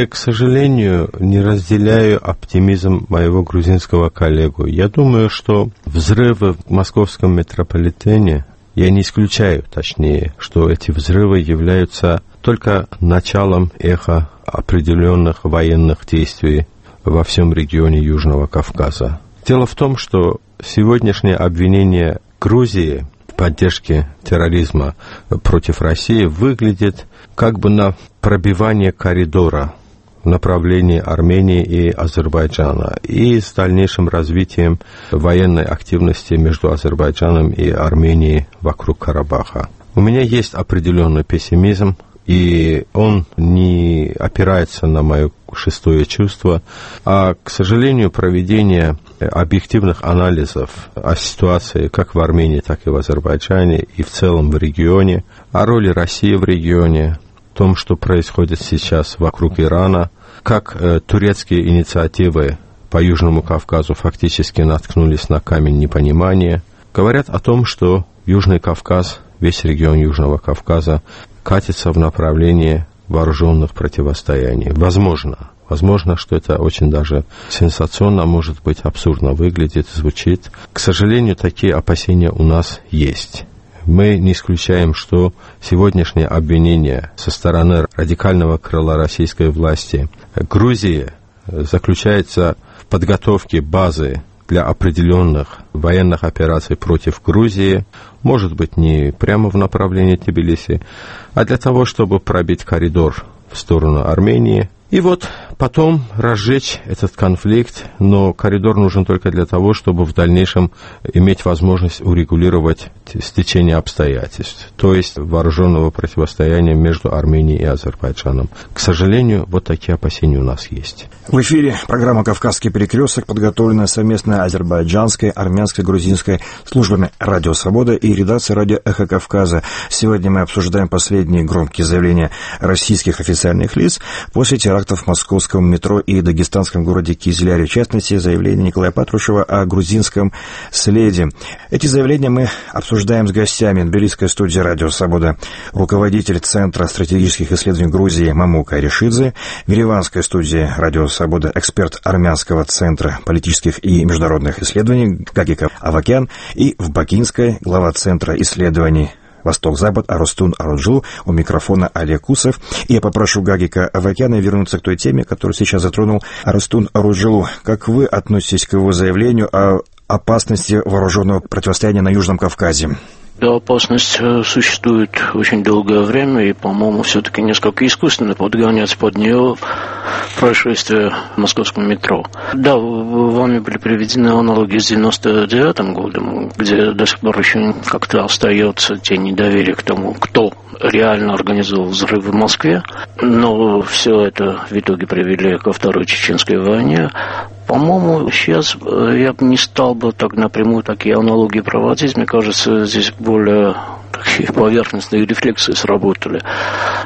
к сожалению, не разделяю оптимизм моего грузинского коллегу. Я думаю, что взрывы в московском метрополитене, я не исключаю, точнее, что эти взрывы являются только началом эха определенных военных действий во всем регионе Южного Кавказа. Дело в том, что сегодняшнее обвинение Грузии в поддержке терроризма против России выглядит как бы на пробивание коридора в направлении Армении и Азербайджана и с дальнейшим развитием военной активности между Азербайджаном и Арменией вокруг Карабаха. У меня есть определенный пессимизм, и он не опирается на мое шестое чувство, а, к сожалению, проведение объективных анализов о ситуации как в Армении, так и в Азербайджане, и в целом в регионе, о роли России в регионе, о том, что происходит сейчас вокруг Ирана, как э, турецкие инициативы по Южному Кавказу фактически наткнулись на камень непонимания, говорят о том, что Южный Кавказ, весь регион Южного Кавказа, катится в направлении вооруженных противостояний. Возможно, возможно, что это очень даже сенсационно, может быть, абсурдно выглядит, звучит. К сожалению, такие опасения у нас есть. Мы не исключаем, что сегодняшнее обвинение со стороны радикального крыла российской власти Грузии заключается в подготовке базы для определенных военных операций против Грузии, может быть, не прямо в направлении Тбилиси, а для того, чтобы пробить коридор в сторону Армении. И вот потом разжечь этот конфликт, но коридор нужен только для того, чтобы в дальнейшем иметь возможность урегулировать стечение обстоятельств, то есть вооруженного противостояния между Арменией и Азербайджаном. К сожалению, вот такие опасения у нас есть. В эфире программа «Кавказский перекресток», подготовленная совместно азербайджанской, армянской, грузинской службами «Радио Свобода» и редакцией «Радио Эхо Кавказа». Сегодня мы обсуждаем последние громкие заявления российских официальных лиц после терактов в московском метро и дагестанском городе Кизляре, в частности, заявление Николая Патрушева о грузинском следе. Эти заявления мы обсуждаем с гостями. Тбилисская студия «Радио Свобода», руководитель Центра стратегических исследований Грузии Мамука Аришидзе, в ереванской студии «Радио Свобода» эксперт Армянского центра политических и международных исследований Гагика Авакян и в Бакинской глава Центра исследований Восток-Запад Арастун Аруджу, у микрофона Олег Кусов. И я попрошу Гагика Авакяна вернуться к той теме, которую сейчас затронул Арастун Аруджу. Как вы относитесь к его заявлению о опасности вооруженного противостояния на Южном Кавказе? Да, опасность существует очень долгое время, и, по-моему, все-таки несколько искусственно подгоняться под нее происшествие в московском метро. Да, вами были приведены аналогии с девяносто девятым годом, где до сих пор еще как-то остается тень недоверия к тому, кто реально организовал взрывы в Москве, но все это в итоге привели ко Второй Чеченской войне. По-моему, сейчас я бы не стал бы так напрямую такие аналогии проводить. Мне кажется, здесь более такие поверхностные рефлексы сработали.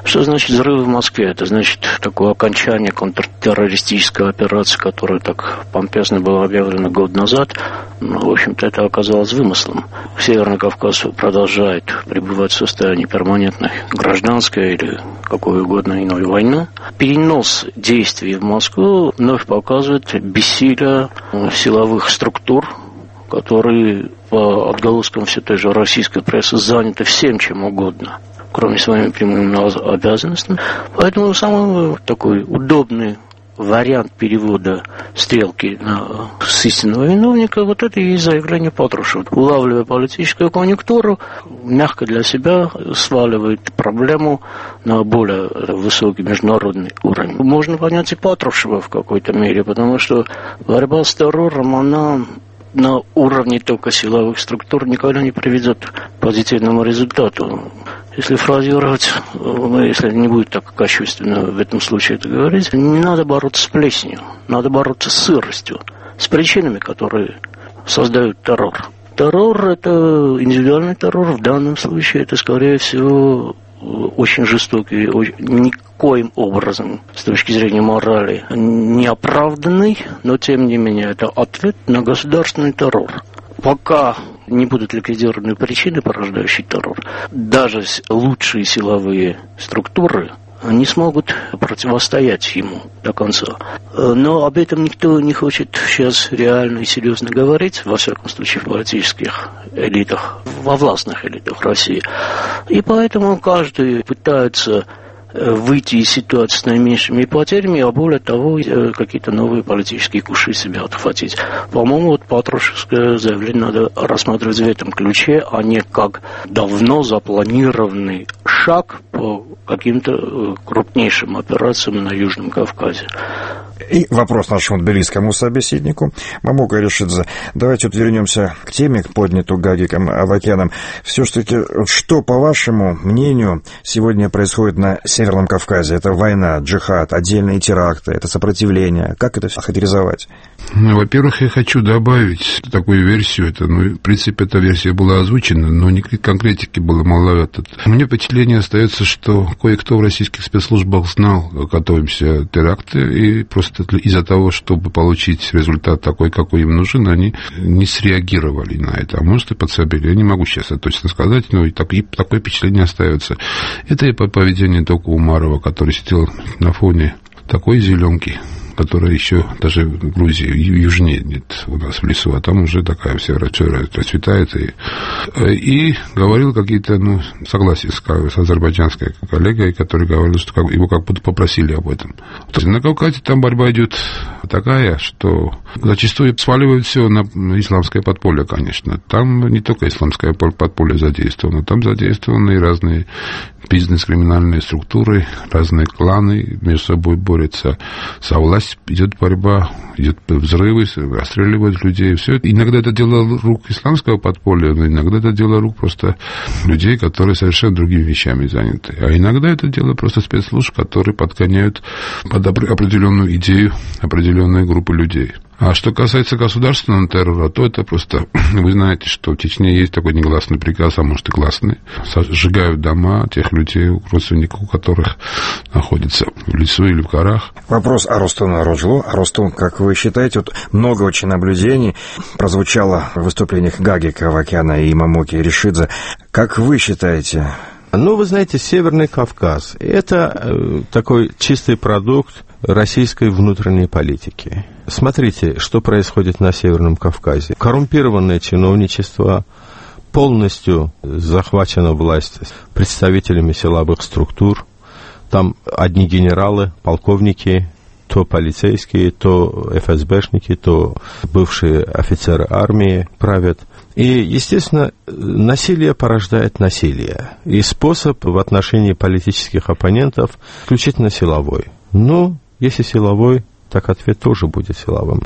Что значит взрывы в Москве? Это значит такое окончание контртеррористической операции, которая так помпезно была объявлена год назад. Но, в общем-то, это оказалось вымыслом. Северный Кавказ продолжает пребывать в состоянии перманентной гражданской или какой угодно иной войны. Перенос действий в Москву вновь показывает бессилие силовых структур, которые по отголоскам все той же российской прессы заняты всем чем угодно, кроме своими прямыми обязанностями. Поэтому самый такой удобный вариант перевода стрелки на, с истинного виновника, вот это и есть заявление Патрушева. Улавливая политическую конъюнктуру, мягко для себя сваливает проблему на более высокий международный уровень. Можно понять и Патрушева в какой-то мере, потому что борьба с террором, она на уровне только силовых структур никогда не приведет к позитивному результату. Если фразировать, если не будет так кощунственно в этом случае это говорить, не надо бороться с плесенью, надо бороться с сыростью, с причинами, которые создают террор. Террор – это индивидуальный террор, в данном случае это, скорее всего, очень жестокий, очень, никоим образом, с точки зрения морали, не оправданный, но тем не менее это ответ на государственный террор. Пока не будут ликвидированы причины, порождающие террор, даже лучшие силовые структуры не смогут противостоять ему до конца. Но об этом никто не хочет сейчас реально и серьезно говорить, во всяком случае в политических элитах, во властных элитах России. И поэтому каждый пытается выйти из ситуации с наименьшими потерями, а более того, какие-то новые политические куши себя отхватить. По-моему, вот Патрушевское заявление надо рассматривать в этом ключе, а не как давно запланированный шаг по каким-то крупнейшим операциям на Южном Кавказе. И вопрос нашему тбилисскому собеседнику Мамука Ришидзе. Давайте вот вернемся к теме, поднятую Гагиком Авакяном. Все-таки, что, по вашему мнению, сегодня происходит на Северном Кавказе? Это война, джихад, отдельные теракты, это сопротивление. Как это все характеризовать? Ну, во-первых, я хочу добавить такую версию. Это, ну, в принципе, эта версия была озвучена, но конкретики было маловато. У меня впечатление остается, что кое-кто в российских спецслужбах знал, готовимся теракты, и просто из-за того, чтобы получить результат такой, какой им нужен, они не среагировали на это. А может, и подсобили. Я не могу сейчас это точно сказать, но и, так, и такое впечатление остается. Это и по поведению Тока Умарова, который сидел на фоне такой зеленки, которая еще даже в Грузии южнее нет у нас в лесу, а там уже такая вся расцветает. И, и говорил какие-то, ну, согласия с, с азербайджанской коллегой, который говорил, что как, его как будто попросили об этом. На Кавказе там борьба идет такая, что зачастую сваливают все на исламское подполье, конечно. Там не только исламское подполье задействовано, там задействованы и разные бизнес-криминальные структуры, разные кланы между собой борются за власть, идет борьба, идет взрывы, расстреливают людей, все это. Иногда это дело рук исламского подполья, но иногда это дело рук просто людей, которые совершенно другими вещами заняты. А иногда это дело просто спецслужб, которые подгоняют под определенную идею определенные группы людей. А что касается государственного террора, то это просто, вы знаете, что в Чечне есть такой негласный приказ, а может и гласный. Сжигают дома тех людей, родственников у которых находятся в лесу или в горах. Вопрос Арустуну Роджлу. Арустун, как вы считаете, вот много очень наблюдений прозвучало в выступлениях Гагика Авакяна и Мамуки Ришидзе. Как вы считаете? Ну, вы знаете, Северный Кавказ – это э, такой чистый продукт российской внутренней политики. Смотрите, что происходит на Северном Кавказе. Коррумпированное чиновничество, полностью захвачена власть представителями силовых структур. Там одни генералы, полковники, то полицейские, то эф эс бэшники, то бывшие офицеры армии правят. И, естественно, насилие порождает насилие. И способ в отношении политических оппонентов исключительно силовой. Ну, если силовой, так ответ тоже будет силовым.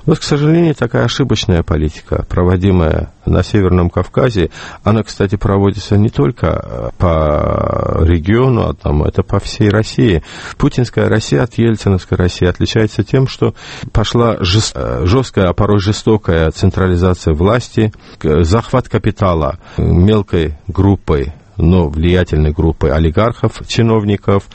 Вот, к сожалению, такая ошибочная политика, проводимая на Северном Кавказе, она, кстати, проводится не только по региону, а там, это по всей России. Путинская Россия от ельциновской России отличается тем, что пошла жест... жесткая, а порой жестокая централизация власти, захват капитала мелкой группой, но влиятельной группой олигархов, чиновников,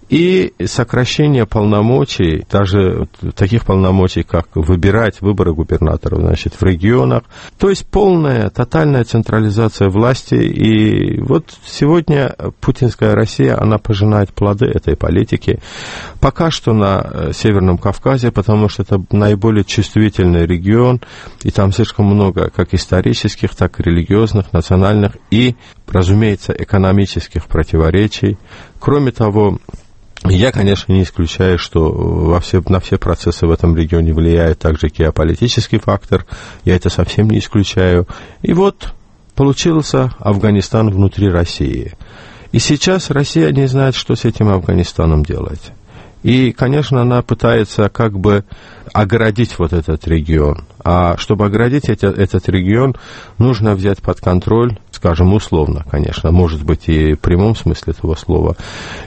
и сокращение полномочий, даже таких полномочий, как выбирать выборы губернаторов, значит, в регионах. То есть полная, тотальная централизация власти. И вот сегодня путинская Россия, она пожинает плоды этой политики. Пока что на Северном Кавказе, потому что это наиболее чувствительный регион, и там слишком много как исторических, так и религиозных, национальных и, разумеется, экономических противоречий. Кроме того, я, конечно, не исключаю, что во все, на все процессы в этом регионе влияет также геополитический фактор. Я это совсем не исключаю. И вот получился Афганистан внутри России. И сейчас Россия не знает, что с этим Афганистаном делать. И, конечно, она пытается как бы оградить вот этот регион. А чтобы оградить это, этот регион, нужно взять под контроль, скажем, условно, конечно, может быть и в прямом смысле этого слова,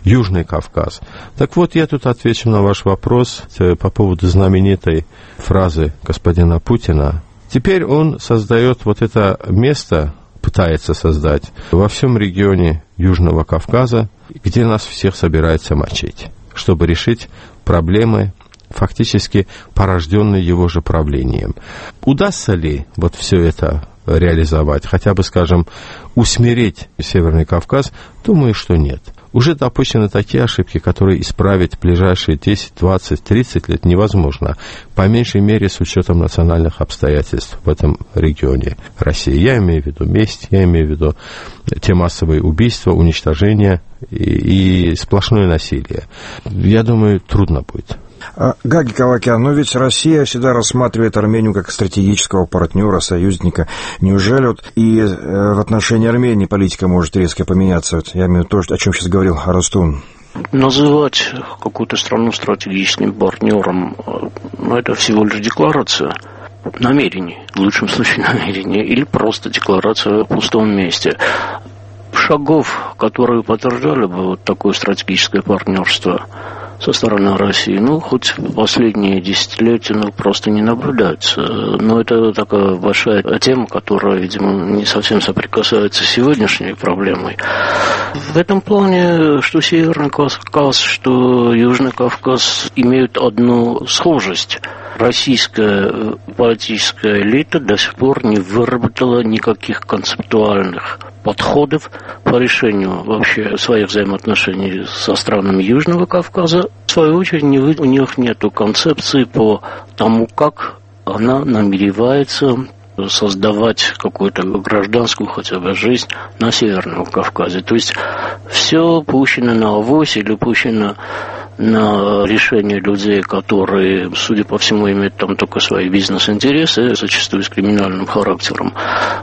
Южный Кавказ. Так вот, я тут отвечу на ваш вопрос по поводу знаменитой фразы господина Путина. Теперь он создает вот это место пытается создать во всем регионе Южного Кавказа, где нас всех собирается мочить, чтобы решить проблемы, фактически порожденные его же правлением. Удастся ли вот все это реализовать, хотя бы, скажем, усмирить Северный Кавказ? Думаю, что нет. Уже допущены такие ошибки, которые исправить в ближайшие десять, двадцать, тридцать лет невозможно, по меньшей мере с учетом национальных обстоятельств в этом регионе России. Я имею в виду месть, я имею в виду те массовые убийства, уничтожения и, и сплошное насилие. Я думаю, трудно будет. Гаги Кавакян, но ведь Россия всегда рассматривает Армению как стратегического партнера, союзника. Неужели вот и в отношении Армении политика может резко поменяться? Вот я имею в виду то, о чем сейчас говорил Арустун. Называть какую-то страну стратегическим партнером, ну, это всего лишь декларация намерений, в лучшем случае намерений, или просто декларация в пустом месте. Шагов, которые подтверждали бы вот такое стратегическое партнерство со стороны России, ну, хоть последние десятилетия, ну, просто не наблюдается. Но это такая большая тема, которая, видимо, не совсем соприкасается с сегодняшней проблемой. В этом плане, что Северный Кавказ, что Южный Кавказ имеют одну схожесть. Российская политическая элита до сих пор не выработала никаких концептуальных подходов по решению вообще своих взаимоотношений со странами Южного Кавказа. В свою очередь, у них нет концепции по тому, как она намеревается создавать какую-то гражданскую хотя бы жизнь на Северном Кавказе. То есть все пущено на авось или пущено на решение людей, которые, судя по всему, имеют там только свои бизнес-интересы, зачастую с криминальным характером.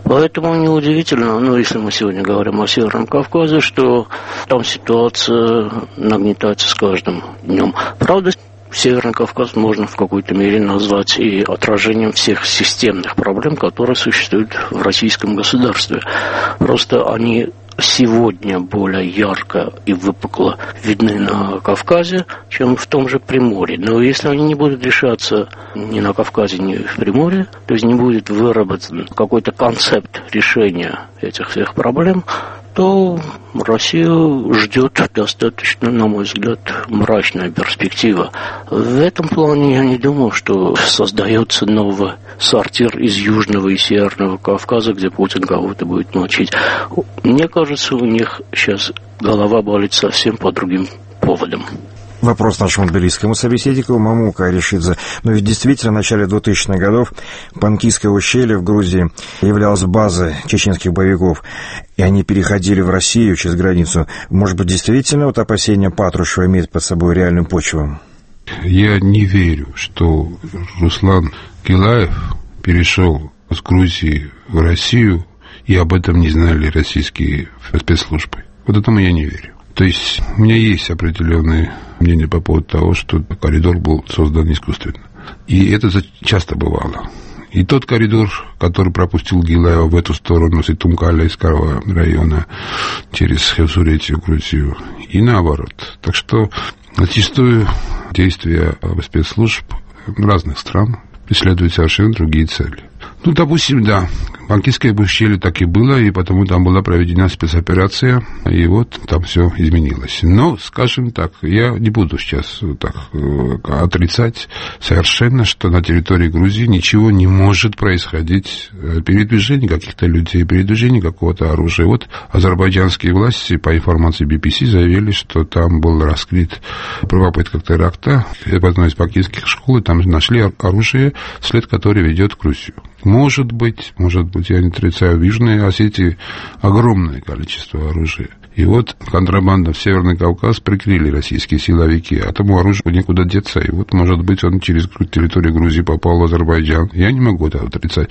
Поэтому неудивительно, ну, если мы сегодня говорим о Северном Кавказе, что там ситуация нагнетается с каждым днем. Правда, Северный Кавказ можно в какой-то мере назвать и отражением всех системных проблем, которые существуют в российском государстве. Просто они сегодня более ярко и выпукло видны на Кавказе, чем в том же Приморье. Но если они не будут решаться ни на Кавказе, ни в Приморье, то есть не будет выработан какой-то концепт решения этих всех проблем, то Россию ждет достаточно, на мой взгляд, мрачная перспектива. В этом плане я не думаю, что создается новый сортир из Южного и Северного Кавказа, где Путин кого-то будет мочить. Мне кажется, у них сейчас голова болит совсем по другим поводам. Вопрос нашему тбилисскому собеседнику Мамука Аришидзе. Но ведь действительно в начале двухтысячных годов Панкийское ущелье в Грузии являлось базой чеченских боевиков, и они переходили в Россию через границу. Может быть, действительно вот опасения Патрушева имеют под собой реальную почву? Я не верю, что Руслан Гилаев перешел с Грузии в Россию, и об этом не знали российские спецслужбы. Вот этому я не верю. То есть у меня есть определенные мнения по поводу того, что коридор был создан искусственно. И это часто бывало. И тот коридор, который пропустил Гилаева в эту сторону, с Итумкаля-Искарова района, через Хевсуретию, Грузию, и наоборот. Так что зачастую действия спецслужб разных стран преследуют совершенно другие цели. Ну, допустим, да, Панкийское ущелье так и было, и потому там была проведена спецоперация, и вот там все изменилось. Но, скажем так, я не буду сейчас так отрицать совершенно, что на территории Грузии ничего не может происходить, передвижение каких-то людей, передвижение какого-то оружия. Вот азербайджанские власти, по информации би би си, заявили, что там был раскрыт попытка теракта в одной из пакистских школ, и там нашли оружие, след которое ведет в Грузию. Может быть, может быть, я не отрицаю, в Южной Осетии огромное количество оружия. И вот контрабанда в Северный Кавказ прикрыли российские силовики, а тому оружию некуда деться. И вот, может быть, он через территорию Грузии попал в Азербайджан. Я не могу это отрицать.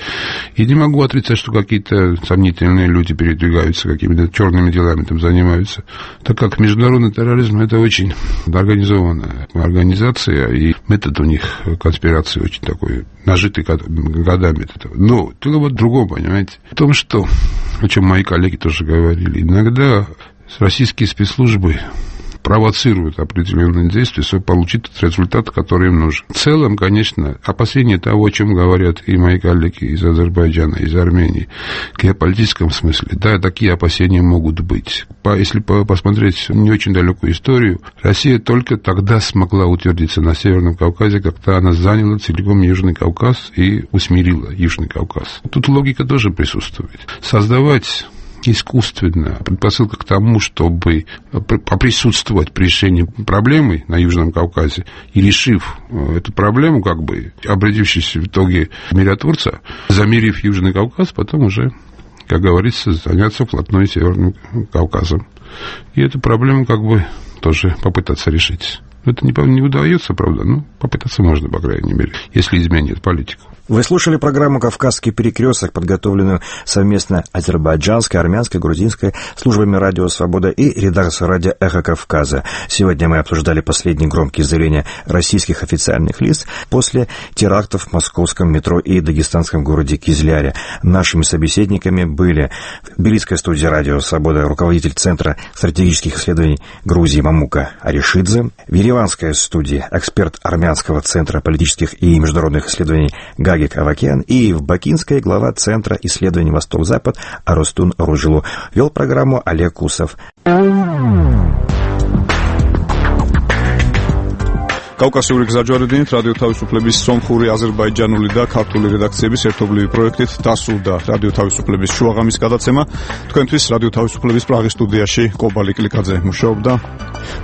И не могу отрицать, что какие-то сомнительные люди передвигаются, какими-то черными делами там занимаются. Так как международный терроризм – это очень организованная организация, и метод у них конспирации очень такой, нажитый годами. Но дело вот в другом, понимаете, в том, что, о чем мои коллеги тоже говорили, иногда российские спецслужбы провоцируют определенные действия, чтобы получить тот результат, который им нужен. В целом, конечно, опасения того, о чем говорят и мои коллеги из Азербайджана, из Армении, в геополитическом смысле, да, такие опасения могут быть. Если посмотреть не очень далекую историю, Россия только тогда смогла утвердиться на Северном Кавказе, когда она заняла целиком Южный Кавказ и усмирила Южный Кавказ. Тут логика тоже присутствует. Создавать искусственно предпосылка к тому, чтобы поприсутствовать при решении проблемы на Южном Кавказе и, решив эту проблему, как бы обратившись в итоге в миротворца, замерив Южный Кавказ, потом уже, как говорится, заняться вплотную Северным Кавказом. И эту проблему как бы тоже попытаться решить. Это не, не удается, правда, но попытаться можно, по крайней мере, если изменит политику. Вы слушали программу «Кавказский перекресток», подготовленную совместно азербайджанской, армянской, грузинской службами «Радио Свобода» и редакцией радио «Эхо Кавказа». Сегодня мы обсуждали последние громкие заявления российских официальных лиц после терактов в московском метро и дагестанском городе Кизляре. Нашими собеседниками были в тбилисской студии «Радио Свобода» руководитель Центра стратегических исследований Грузии Мамука Аришидзе, в ереванской студии эксперт Армянского центра политических и международных исследований Гаги Авакян, и в Бакинской глава Центра исследований Восток-Запад Аростун Ружилу. Вел программу Олег Кусов. კავკასიური გზაჯვარედინით რადიო თავისუფლების სომხური, აზერბაიჯანული და ქართული რედაქციების ერთობლივი პროექტით დასრულდა რადიო თავისუფლების შუაღამის გადაცემა. თქვენთვის რადიო თავისუფლების პრაღის სტუდიაში კობალი კლიკაძე მუშაობდა.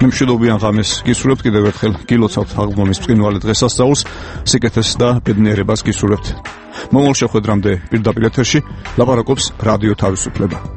მიმშვიდობიან ღამეს გისურვებთ კიდევ ერთხელ გილოცავთ აღდგომის ბრწყინვალე დღესასწაულს, სიკეთეს და ბედნიერებას გისურვებთ. მომავალ შეხვედრამდე პირდაპირ ეთერში ლაპარაკობს რადიო თავისუფლება.